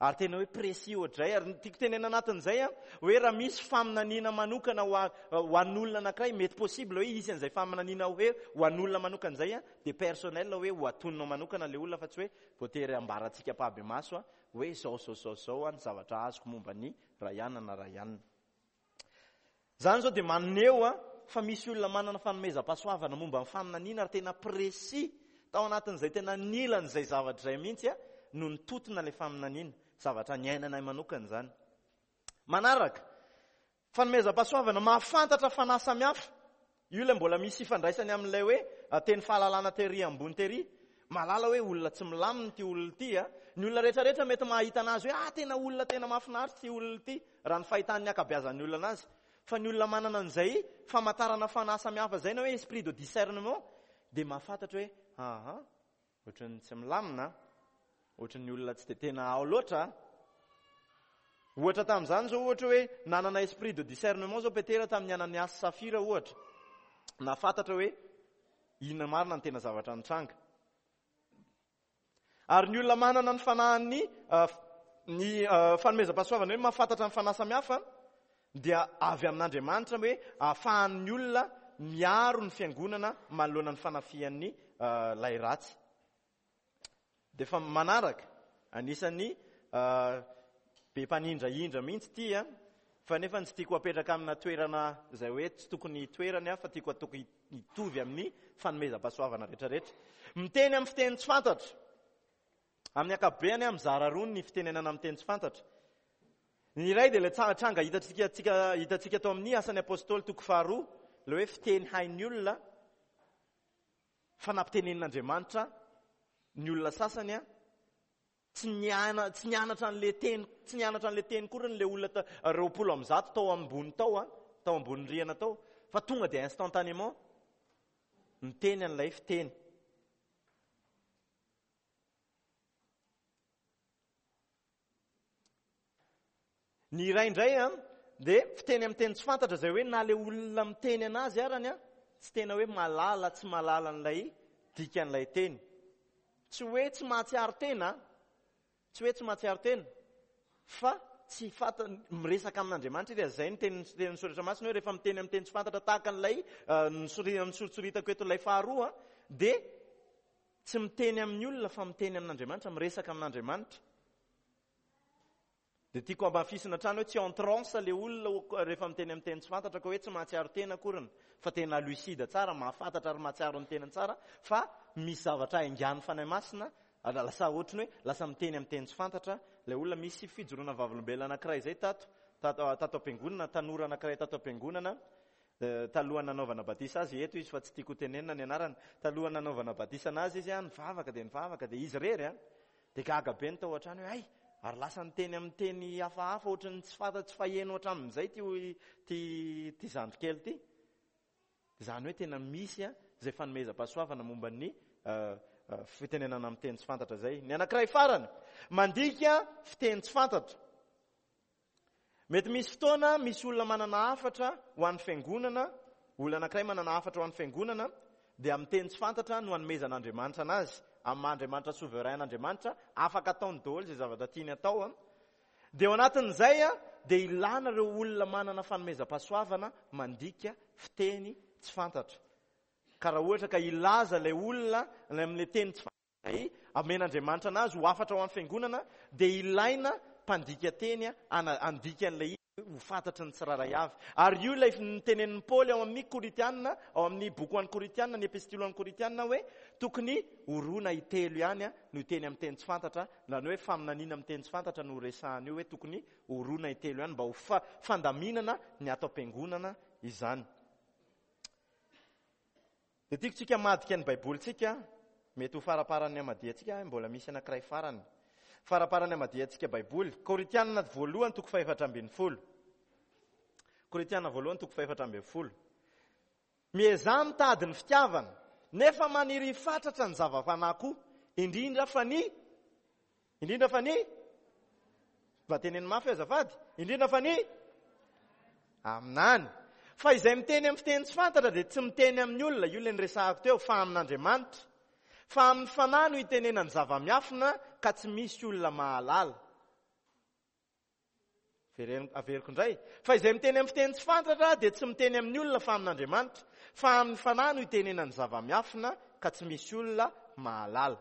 Ary tena hoe précis ohatray, ary tiako tenena anatin'izay a, hoe raha misy faminaniana manokana ho ho an'olona anankiray, mety possible hoe hisy an'izay faminaniana hoe ho an'olona manokana izay a, dia personnel hoe ho atoninao manokana ilay olona fa tsy hoe voatery ambarantsika ampahibemaso a, hoe zao zao zao zao a ny zavatra azoko momba ny Rayana na Rayana. Izany zao dia maneho a fa misy olona manana fanomezam-pahasoavana momba ny faminaniana ary tena précis tao anatin'izay tena nilan'izay zavatra izay mihitsy a no nitotona ilay faminaniana, zavatra niainanay manokana izany. Manaraka, fanomezam-pahasoavana mahafantatra fanahy samihafa. Io ilay mbola misy ifandraisany amin'ilay hoe teny fahalalana tery ambony tery. Mahalala hoe olona tsy milamina ity olona ity a. Ny olona rehetrarehetra mety mahita anazy hoe ah tena olona tena mahafinaritra ity olona ity raha ny fahitan'ny ankabeazan'ny olona anazy. Fa ny olona manana an'izay famantarana fanahy samihafa izay na hoe esprit de discernement dia mahafantatra hoe aha ohatran'ny tsy milamina, ohatran'ny olona tsy dia tena ao loatra. Ohatra tamin'izany zao ohatra hoe nanana esprit de discernement zao Petera tamin'ny Ananiasy Safira ohatra. Nahafantatra hoe inona marina ny tena zavatra nitranga. Ary ny olona manana ny fanahin'ny ny fanomezam-pahasoavana hoe mahafantatra ny fanahy samihafa dia avy amin'Andriamanitra hoe ahafahan'ny olona miaro ny fiangonana manoloana ny fanafihan'ny lay ratsy. Dia efa manaraka, anisan'ny be mpanindrahindra mihitsy ity a, fa nefa tsy tiako apetraka amina toerana izay hoe tsy tokony hitoerany a, fa tiako atoko hitovy amin'ny fanomezam-pahasoavana rehetrarehetra. Miteny amin'ny fiteny tsy fantatra. Amin'ny ankapobeny a, mizara roa ny fitenenana amin'ny teny tsy fantatra. Ny iray dia ilay tranga hitantsika hitantsika tao amin'ny asan'ny apôstôly toko faharoa, ilay hoe fiteny hain'ny olona fa nampitenenin'Andriamanitra ny olona sasany a, tsy niana, tsy nianatra an'ilay teny, tsy nianatra an'ilay teny koa ilay olona roapolo amby zato tao ambony tao a, tao ambony rihana tao, fa tonga dia instantanément niteny an'ilay fiteny. Ny iray indray a dia fiteny amin'ny teny tsy fantatra izay hoe na ilay olona miteny anazy arany a, tsy tena hoe malala, tsy malala an'ilay dikan'ilay teny. Tsy hoe tsy mahatsiaro tena, tsy hoe tsy mahatsiaro tena, fa tsy fanta, miresaka amin'Andriamanitra izy. Izay ny teny, teny soratra masina hoe rehefa miteny amin'ny teny tsy fantatra tahaka an'ilay nosoritsoritako eto ilay faharoa, dia tsy miteny amin'ny olona fa miteny amin'Andriamanitra, miresaka amin'Andriamanitra. Dia tiako ambafisina hatrany hoe tsy en transe ilay olona rehefa miteny amin'ny teny tsy fantatra, ka hoe tsy mahatsiaro tena akoriny, fa tena lucide tsara, mahafantatra ary mahatsiaro ny tenany tsara, fa misy zavatra haingan'ny Fanahy Masina, lasa ohatrany hoe lasa miteny amin'ny teny tsy fantatra ilay olona. Misy fijoroana vavolombelona anankiray izay tato, tato, tato am-piangonana, tanora anankiray tato am-piangonana, talohan'ny nanaovana batisa azy eto izy fa tsy tiako tenenina ny anarany. Talohan'ny nanaovana batisa anazy izy a, nivavaka dia nivavaka dia izy irery a, dia gaga be ny tao an-trano hoe ay, Ary lasa niteny amin'ny teny hafahafa ohatran'ny tsy fanta tsy faheno hatramin'izay ty ty ty zandry kely ity. Izany hoe tena misy a izay fanomezam-pahasoavana momba ny fitenenana amin'ny teny tsy fantatra izay. Ny anankiray farany, mandika fiteny tsy fantatra. Mety misy fotoana misy olona manana hafatra ho an'ny fiangonana, olona anankiray manana hafatra ho an'ny fiangonana, dia amin'ny teny tsy fantatra no anomezan'Andriamanitra anazy. Amin'ny maha Andriamanitra souverain an'Andriamanitra, afaka ataony daholo izay zavatra tiany atao. Dia ao anatin'izay dia ilana ireo olona manana fanomezam-pahasoavana mandika fiteny tsy fantatra. Ka raha ohatra ka hilaza ilay olona amin'ilay teny tsy fantatra amen'Andriamanitra anazy ho hafatra ho an'ny fiangonana, dia ilaina mpandika teny handika an'ilay izy ho fantatry ny tsirairay avy. Ary io ilay nitenenin'i Paoly ao amin'ny Korintiana, ao amin'ny boky ho an'ny Korintiana, ny epistily ho an'ny Korintiana hoe tokony ho roa na intelo ihany no hiteny amin'ny teny tsy fantatra, na ny hoe faminaniana amin'ny teny tsy fantatra no resahana io hoe tokony ho roa na intelo ihany mba ho fandaminana ny ato am-piangonana izany. Dia tiako tsika hamadika ny Baibolintsika, mety ho faramparan'ny hamadihantsika, mbola misy anankiray farany. Faramparan'ny hamadihantsika Baiboly, Korintiana voalohany toko fahefatra ambin'ny folo. Korintiana voalohany toko fahefatra ambin'ny folo. Miezaha mitady ny fitiavana, nefa maniry fatratra ny zava-panahy koa, indrindra fa ny indrindra fa ny mba teneno mafy azafady, indrindra fa ny aminany. Fa izay miteny amin'ny fiteny tsy fantatra dia tsy miteny amin'ny olona, io ilay niresahako teo, fa amin'Andriamanitra. Fa amin'ny fanahy no itenenany zava-miafina ka tsy misy olona mahalala. Averiko indray. Fa izay miteny amin'ny fiteny tsy fantatra dia tsy miteny amin'ny olona fa amin'Andriamanitra. Fa amin'ny fanahy no itenenany zava-miafina ka tsy misy olona mahalala.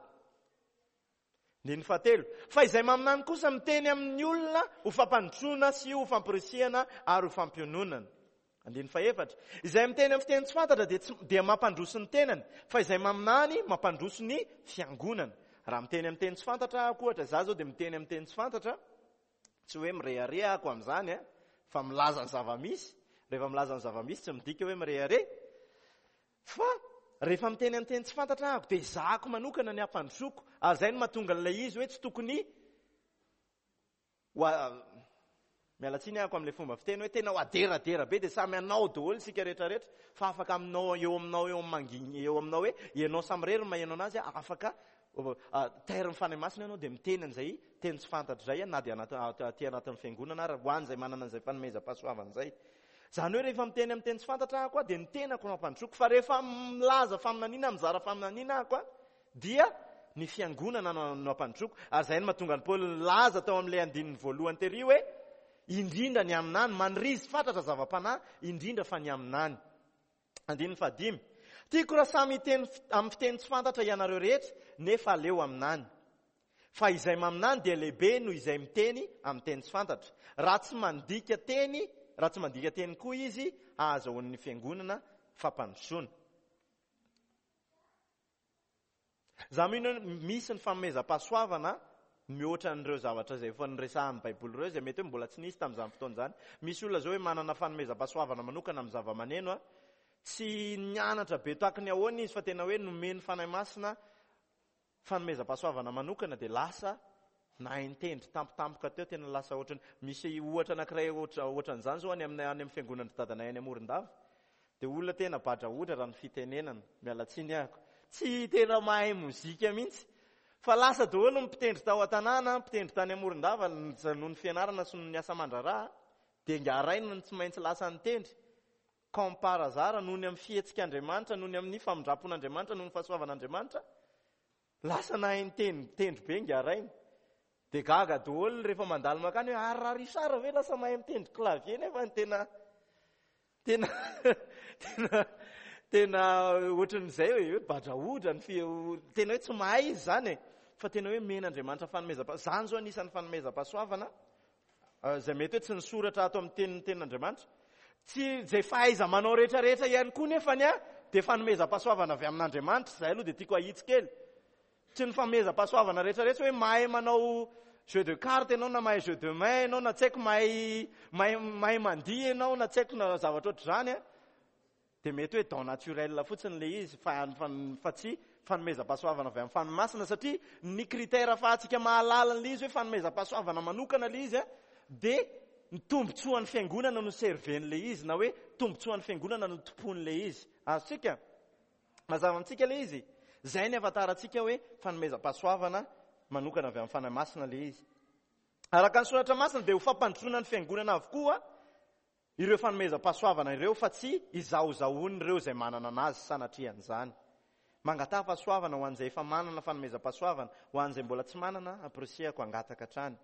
Andininy fahatelo. Fa izay maminany kosa miteny amin'ny olona ho fampandrosoana sy ho famporisihana ary ho fampiononana. Andininy fahefatra. Izay miteny amin'ny fiteny tsy fantatra dia tsy, dia mampandroso ny tenany, fa izay maminany mampandroso ny fiangonana. Raha miteny amin'ny teny tsy fantatra aho, ohatra izaho izao dia miteny amin'ny teny tsy fantatra, tsy hoe mirehareha ako amin'izany, fa milaza ny zava-misy. Rehefa milaza ny zava-misy tsy midika hoe mirehareha. Fa rehefa miteny amin'ny teny tsy fantatra aho dia ezahako manokana ny hampandrosoko. Ary izay no mahatonga an'ilay izy hoe tsy tokony ho miala tsiny aho amin'ilay fomba fiteny hoe tena ho aderadera be dia samy anao daholo isika rehetrarehetra, fa afaka aminao eo aminao eo manginy eo aminao hoe ianao samirery maheno anazy, afaka tairin'ny Fanahy Masina ianao dia miteny an'izay teny tsy fantatra izay na dia aty anatin'ny fiangonana ary ho an'izay manana an'izay fanomezam-pahasoavana izay. Izany hoe rehefa miteny amin'ny teny tsy fantatra aho dia ny tenako no ampandrosoako, fa rehefa milaza faminaniana, mizara faminaniana aho dia ny fiangonana no ampandrosoako. Ary izay no mahatonga an'i Paoly nilaza tao amin'ilay andininy voalohany tery hoe indrindra ny aminany, manirizy fatratra zava-panahy, indrindra fa ny aminany. Andininy fahadimy. Tiako raha samy hiteny amin'ny fiteny tsy fantatra ianareo rehetra, nefa aleo aminany. Fa izay maminany dia lehibe noho izay miteny amin'ny teny tsy fantatra. Raha tsy mandika teny, raha tsy mandika teny koa izy, hahazahoan'ny fiangonana fampandrosoana. Za mino misy ny fanomezam-pahasoavana mihoatra an'ireo zavatra izay efa niresahan'ny Baiboly ireo, izay mety hoe mbola tsy nisy tamin'izany fotoana izany. Misy olona izao hoe manana fanomezam-pahasoavana manokana amin'ny zava-maneno, tsy nianatra be tahaka ny ahoana izy fa tena hoe nomen'ny Fanahy Masina fanomezam-pahasoavana manokana dia lasa nahay nitendry tampotampoka teo, tena lasa ohatrany. Misy ohatra anankiray ohatran'izany izao any amin'ny, any amin'ny fiangonan'ny dadanay any Morondava. Dia olona tena badrahodra raha ny fitenenana, miala tsiny ahako. Tsy tena mahay mozika mihitsy. Fa lasa daholo ny mpitendry tao an-tanàna, mpitendry tany Morondava noho ny fianarana sy noho ny asa aman-draharaha, dia ngaraina ny tsy maintsy lasa nitendry. Comme par hasard, noho ny amin'ny fihetsik'Andriamanitra, noho ny amin'ny famindram-pon'Andriamanitra, noho ny fahasoavan'Andriamanitra, lasa nahay nitendry be ngaraina. Dia gaga daholo rehefa mandalo mankany hoe ary raha Richard ve lasa mahay mitendry clavier nefa ny tena tena tena tena ohatran'izay hoe badrahodra ny fi, tena hoe tsy mahay izy zany e, fa tena hoe men'Andriamanitra fanomezam-pahasoavana. Zany zao anisan'ny fanomezam-pahasoavana izay mety hoe tsy nisoratra ato amin'ny tenin'ny tenin'Andriamanitra. Tsy izay fahaiza manao rehetrarehetra ihany koa nefa ny a dia fanomezam-pahasoavana avy amin'Andriamanitra. Izay aloha dia tiako ahitsy kely. Tsy ny fanomezam-pahasoavana rehetrarehetra hoe mahay manao jeu de carte ianao na mahay jeu de main ianao na tsy haiko mahay mahay mahay mandihy ianao na tsy haiko na zavatra ohatr'izany a, dia mety hoe don naturel fotsiny ilay izy fa, fa, fa tsy fanomezam-pahasoavana avy amin'ny Fanahy Masina, satria ny critère ahafahantsika mahalala an'ilay izy hoe fanomezam-pahasoavana manokana ilay izy dia ny tombontsoan'ny fiangonana no serven'ilay izy, na hoe tombontsoan'ny fiangonana no tompon'ilay izy. Azontsika? Mazava amintsika ilay izy. Izay ny ahafantarantsika hoe fanomezam-pahasoavana manokana avy amin'ny Fanahy Masina ilay izy. Araka ny soratra masina dia ho fampandrosoana ny fiangonana avokoa ireo fanomezam-pahasoavana ireo, fa tsy izahozahoan'ireo izay manana anazy sanatrian'izany. Mangataha fahasoavana ho an'izay efa manana fanomezam-pahasoavana, ho an'izay mbola tsy manana, ampirisihako hangataka hatrany.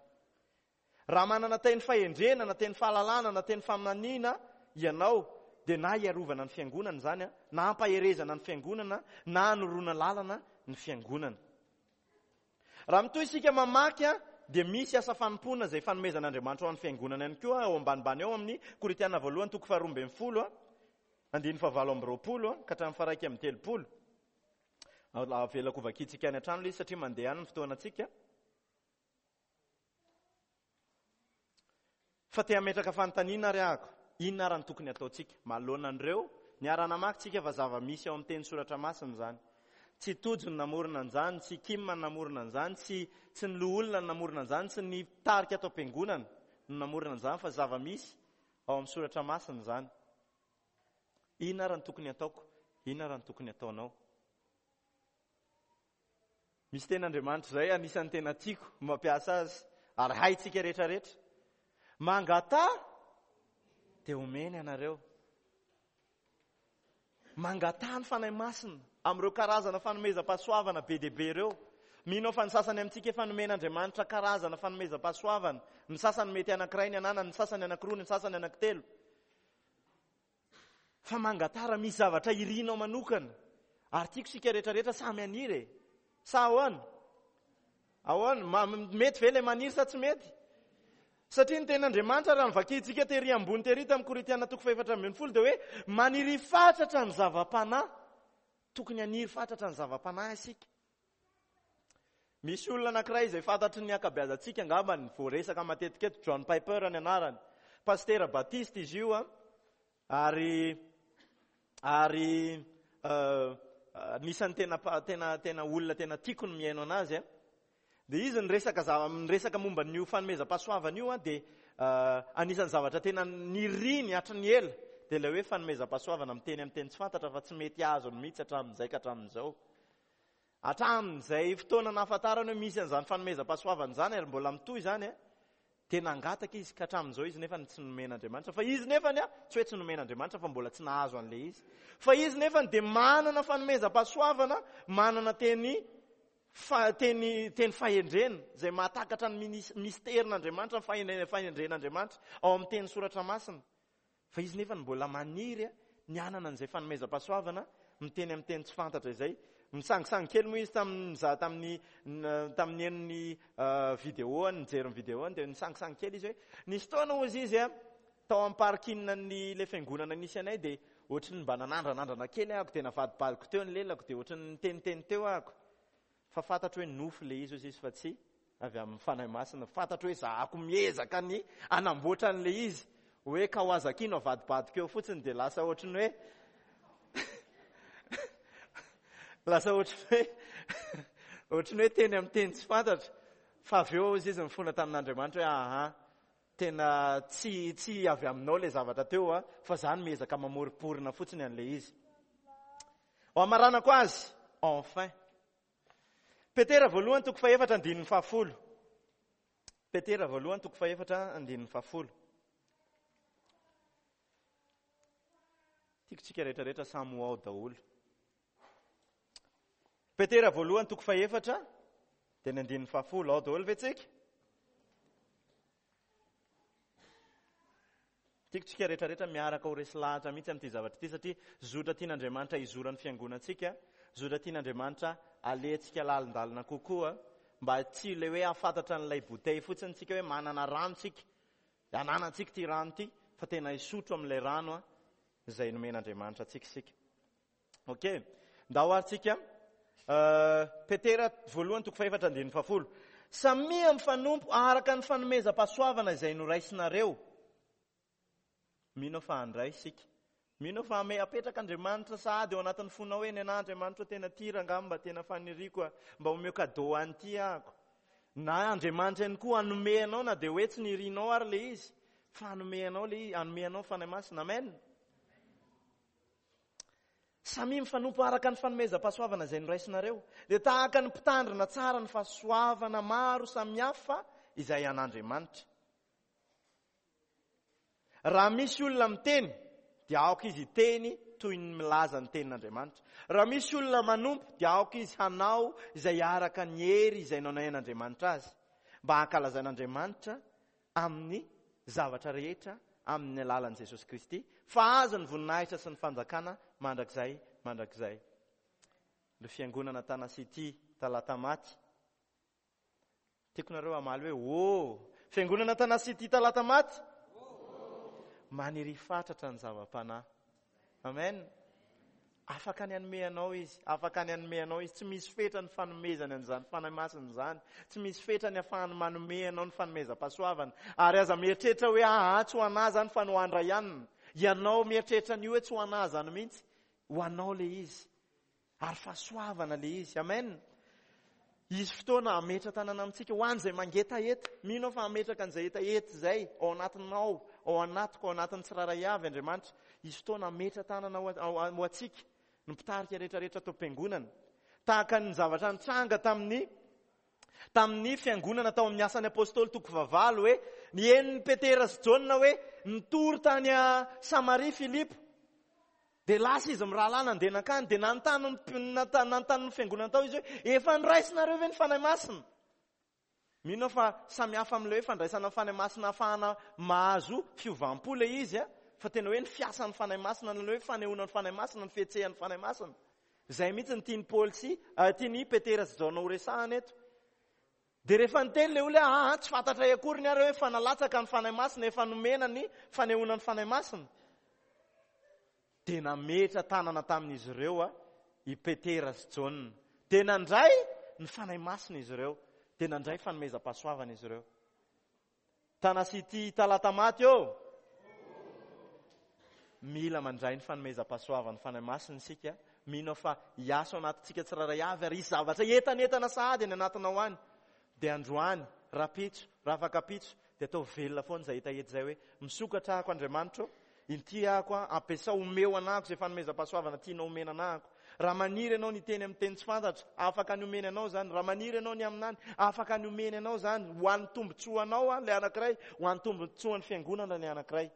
Raha manana teny fahendrena, na teny fahalalana, na teny faminaniana ianao, dia na hiarovana ny fiangonana izany, na hampaherezana ny fiangonana, na hanoroana lalana ny fiangonana. Raha mitohy isika mamaky, dia misy asa fanompoana izay fanomezan'Andriamanitra ho an'ny fiangonana ihany koa ao ambanimbany ao amin'ny Korintiana voalohany toko faharoa ambin'ny folo, andininy fahavalo amby roapolo ka hatramin'ny faha-iraika amby telopolo. Avelako vakintsika any an-trano ilay izy satria mandeha any ny fotoanantsika. Fa te hametraka fanontaniana ary ahako, inona ary ny tokony hataontsika manoloana an'ireo? Niara-namaky tsika fa zava-misy ao amin'ny teny soratra masina izany. Tsy Tojo ny namorona an'izany, tsy Kim ny namorona an'izany, tsy tsy ny loholona ny namorona an'izany, tsy ny mpitarika ato am-piangonana no namorona an'izany, fa zava-misy ao amin'ny soratra masina izany. Inona ary ny tokony hataoko? Inona ary ny tokony hataonao? Misy tenin'Andriamanitra izay anisan'ny tena tiako mampiasa azy, ary haintsika rehetrarehetra. Mangataha dia omeny ianareo. Mangataha ny Fanahy Masina amin'ireo karazana fanomezam-pahasoavana be dia be ireo. Mino aho fa ny sasany amintsika efa nomen'Andriamanitra karazana fanomezam-pahasoavana. Ny sasany mety anankiray ny ananany, ny sasany anankiroa, ny sasany anankitelo. Fa mangataha raha misy zavatra irinao manokana. Ary tiako isika rehetrarehetra samy haniry e. Sa ahoana? Ahoana? Mety ve ilay maniry sa tsy mety? Satria ny tenin'Andriamanitra raha novakintsika tery ambony tery tamin'ny Korintiana toko fahefatra ambin'ny folo dia hoe maniry fatratra ny zava-panahy. Tokony haniry fatratra ny zava-panahy isika. Misy olona anankiray izay fantatry ny ankabeazantsika angamba ny voaresaka matetika eto, John Piper ny anarany. Pastera Batista izy io, ary ary anisan'ny tena tena tena olona tena tiako ny mihaino anazy. Dia izy niresaka zava-, niresaka momba an'io fanomezam-pahasoavana io, dia anisan'ny zavatra tena niriny hatry ny ela dia ilay hoe fanomezam-pahasoavana miteny amin'ny teny tsy fantatra fa tsy mety azony mihitsy hatramin'izay ka hatramin'izao. Hatramin'izay fotoana nahafantarany hoe misy an'izany fanomezam-pahasoavana izany ary mbola mitohy izany, dia nangataka izy ka hatramin'izao izy nefa tsy nomen'Andriamanitra. Fa izy nefany, tsy hoe tsy nomen'Andriamanitra fa mbola tsy nahazo an'ilay izy. Fa izy nefany dia manana fanomezam-pahasoavana, manana teny fa teny teny fahendrena izay mahatakatra ny minis-, misterin'Andriamanitra, ny fahendrena, fahendren'Andriamanitra ao amin'ny teny soratra masina. Fa izy nefa mbola maniry ny hanana an'izay fanomezam-pahasoavana miteny amin'ny teny tsy fantatra izay. Misangisangy kely moa izy tamin'ny nizaha tamin'ny, n-, tamin'ny henon'ny, euh, vidéo, nijery ny vidéo, dia nisangisangy kely izy hoe nisy fotoana hozy izy a, tao amin'ny parking-n'ny ilay fiangonana nisy anay, dia ohatry ny mba nanandranandrana kely ahako, dia navadibadiko teo ny lelako, dia ohatry ny niteniteny teo ahako. Fa fantatro hoe nofo ilay izy hozy izy fa tsy avy amin'ny Fanahy Masina. Fantatro hoe zahako miezaka ny hanamboatra an'ilay izy. Hoe Kawasaki no avadibadiko eo fotsiny dia lasa ohatry ny hoe lasa ohatry ny hoe ohatry ny hoe teny amin'ny teny tsy fantatra. Fa avy eo hozy izy nifona tamin'Andriamanitra hoe aha, tena tsy, tsy avy aminao ilay zavatra teo a, fa za no miezaka mamoriporina fotsiny an'ilay izy. Ho amaranako azy, enfin. Petera voalohany toko fahefatra andininy fahafolo. Petera voalohany toko fahefatra andininy fahafolo. Tiako tsika rehetrarehetra samy ho ao daholo. Petera voalohany toko fahefatra dia ny andininy fahafolo. Ao daholo ve tsika? Tiako tsika rehetrarehetra miaraka ho resy lahatra mihitsy amin'ity zavatra ity, satria zotra tian'Andriamanitra hizoran'ny fiangonantsika, zotra tian'Andriamanitra alehantsika lalindalina kokoa, mba tsy ilay hoe hahafantatra an'ilay bouteille fotsiny tsika hoe manana rano tsika, ananantsika ity rano ity, fa tena hisotro amin'ilay rano a, izay nomen'Andriamanitra antsika isika. Ok, ndao ary tsika. Euh, Petera voalohany toko fahefatra andininy fahafolo. Samia mifanompo araka ny fanomezam-pahasoavana izay noraisinareo. Mino fa handray isika Mino fa ame apetraka Andriamanitra sahady eo anatin'ny fonao hoe ny anahy Andriamanitra tena tia rangahy, mba tena faniriako a, mba omeo cadeau an'ity ahako. Na Andriamanitra ihany koa hanome anao na dia hoe tsy nirinao ary le izy, fa hanome anao le izy, hanome anao Fanahy Masina. Amen. Samy mifanompo araka ny fanomezam-pahasoavana izay noraisinareo. Dia tahaka ny mpitandrina tsara ny fahasoavana maro samihafa izay an'Andriamanitra. Raha misy olona miteny, dia aoka izy hiteny toy ny milaza ny tenin'Andriamanitra. Raha misy olona manompo, dia aoka izy hanao izay araka ny hery izay nanain'Andriamanitra azy, mba hankalazain'Andriamanitra amin'ny zavatra rehetra amin'ny alalan'i Jesosy Kristy, fa azy ny voninahitra sy ny fanjakana mandrakizay mandrakizay. Le fiangonana Tana City Talatamaty. Tiako nareo hamaly hoe ô. Fiangonana Tana City Talatamaty. Maniry fatratra ny zava-panahy. Amen. Afaka ny hanome anao izy, afaka ny hanome anao izy. Tsy misy fetra ny fanomezany an'izany Fanahy Masina izany. Tsy misy fetra ny ahafahany manome anao ny fanomezam-pahasoavana. Ary aza mieritreritra hoe ah, tsy ho anahy zany fa ny ho andray ihany. Ianao mieritreritra an'io hoe tsy ho anahy zany mihitsy. Ho anao le izy. Ary fahasoavana le izy. Amen. Izy fotoana hametra tanana amintsika ho an'izay mangetaheta. Mino aho fa hametraka an'izay hetaheta izay ao anatinao, ao anatiko, ao anatin'ny tsirairay avy Andriamanitra. Izy fotoana hametra tanana ho, ho, ho antsika, ny mpitarika rehetrarehetra tao am-piangonana. Tahaka ny zavatra nitranga tamin'ny, tamin'ny fiangonana tao amin'ny asan'ny apôstôly toko fahavalo hoe ny henon'i Petera sy Jaona hoe nitory tany a Samaria Filipo. Dia lasa izy mirahalahy nandeha nankany, dia nanontany ny, nanontany ny fiangonana tao izy hoe efa niraisinareo ve ny Fanahy Masina? Mino aho fa samy hafa amin'ilay hoe fandraisana ny Fanahy Masina ahafahana mahazo fiovam-po ilay izy, fa tena hoe ny fiasan'ny Fanahy Masina, ny hoe fanehoana ny Fanahy Masina, ny fihetsehan'ny Fanahy Masina. Izay mihitsy ny tian'i Paoly sy, eh, tian'i Petera sy Jaona ho resahana eto. Dia rehefa niteny ilay olona hoe, ah, tsy fantatray akory ny ary hoe efa nalatsaka ny Fanahy Masina, efa nomena ny fanehoana ny Fanahy Masina. Dia nametra tanana tamin'izy ireo a, i Petera sy Jaona. Dia nandray ny Fanahy Masina izy ireo. Dia nandray fanomezam-pahasoavana izy ireo. Tana City Talatamaty eo. Mila mandray ny fanomezam-pahasoavan'ny Fanahy Masina isika. Mino fa hiasa ao anatintsika tsirairay avy ary hisy zavatra entanentana sahady any anatinao any. Dia androany, rapitso, rafakapitso, dia atao velona foana izay hetaheta izay hoe misokatra ahako Andriamanitra ô, inty ahako a, ampiasao, omeo anahako izay fanomezam-pahasoavana tianao omena anahako. Raha maniry ianao ny teny amin'ny teny tsy fantatra, afaka ny omeny anao izany. Raha maniry ianao ny aminany, afaka ny omeny anao izany. Ho an'ny tombontsoanao a, ilay anankiray, ho an'ny tombontsoan'ny fiangonana ilay anankiray.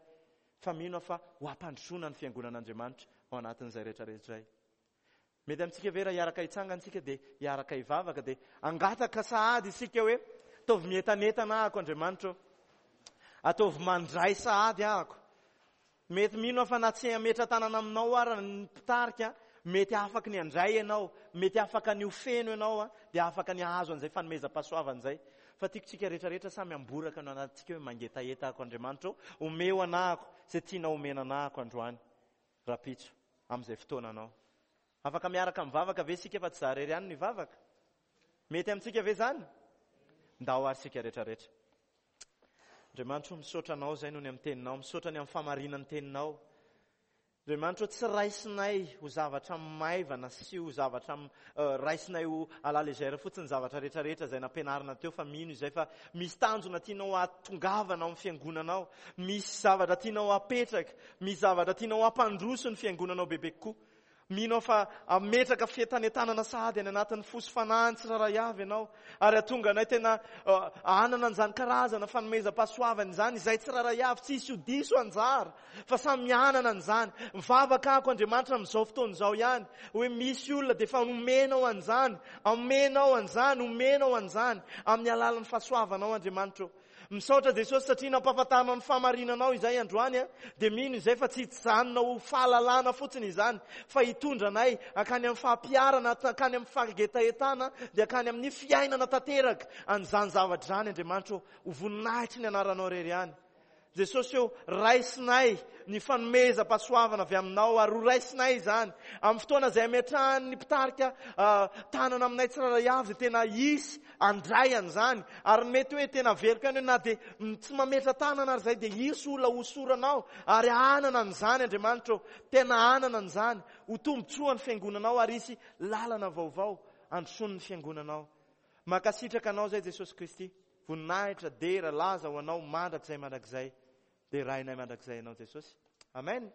Fa mino aho fa ho ampandrosoana ny fiangonan'Andriamanitra ao anatin'izay rehetrarehetra izay. Mety amintsika ve raha hiaraka hitsangana isika dia hiaraka hivavaka, dia angataka sahady isika hoe ataovy mientanentana ahako Andriamanitra ô, ataovy mandray sahady ahako. Mety mino aho fa na tsy hametra tanana aminao ary ny mpitarika, mety afaka ny handray ianao, mety afaka ny ho feno ianao, dia afaka ny hahazo an'izay fanomezam-pahasoavana izay. Fa tiako tsika rehetrarehetra samy amboraka no anatintsika hoe mangetaheta ahako Andriamanitra ô, omeo anahako izay tianao omena anahako androany, rapitso, amin'izay fotoananao. Afaka miaraka mivavaka ve isika fa tsy za irery ihany no hivavaka? Mety amintsika ve izany? Ndao ary isika rehetrarehetra. Andriamanitra, misaotra anao izay noho ny amin'ny teninao, misaotra ny amin'ny fahamarinan'ny teninao. Andriamanitra, tsy raisinay ho zavatra maivana sy ho zavatra, eh, raisinay ho à la légère fotsiny zavatra rehetrarehetra izay nampianarina teo, fa mino izay fa misy tanjona tianao hahatongavana ao amin'ny fiangonanao, misy zavatra tianao hapetraka, misy zavatra tianao hampandroso ny fiangonanao bebe kokoa. Mino aho fa hametraka fientanentanana sahady any anatin'ny fo sy fanahiny tsirairay avy ianao, ary hahatonga anay tena, eh, hanana an'izany karazana fanomezam-pahasoavana izany, izay tsirairay avy, tsy hisy ho diso anjara, fa samy hanana an'izany. Mivavaka ako Andriamanitra amin'izao fotoana izao ihany, hoe misy olona dia efa omenao an'izany, omenao an'izany, omenao an'izany, amin'ny alalan'ny fahasoavanao Andriamanitra ô. Misaotra Jesosy satria nampahafantarinao ny fahamarinanao izay androany, dia mino izay fa tsy hijanona ho fahalalana fotsiny izany, fa hitondra anay hankany amin'ny fampiharana, hankany amin'ny fangetahetana, dia hankany amin'ny fiainana tanteraka an'izany zavatra izany Andriamanitra ô, ho voninahitry ny anaranao irery ihany. Jesosy ô, raisinay ny fanomezam-pahasoavana avy aminao ary ho raisinay izany. Amin'ny fotoana izay ametrahan'ny mpitarika tanana aminay tsirairay avy dia tena hisy handray an'izany. Ary mety hoe tena averiko ihany hoe na dia tsy mametra tanana ary izay dia hisy olona hosoranao ary hanana an'izany Andriamanitra ô. Tena hanana an'izany. Ho tombontsoa ny fiangonanao ary hisy lalana vaovao handrosoan'ny fiangonanao. Mankasitraka anao izay Jesosy Kristy. Voninahitra, dera, laza ho anao mandrakizay mandrakizay. Derainay mandrakizay ianao Jesosy. Amen.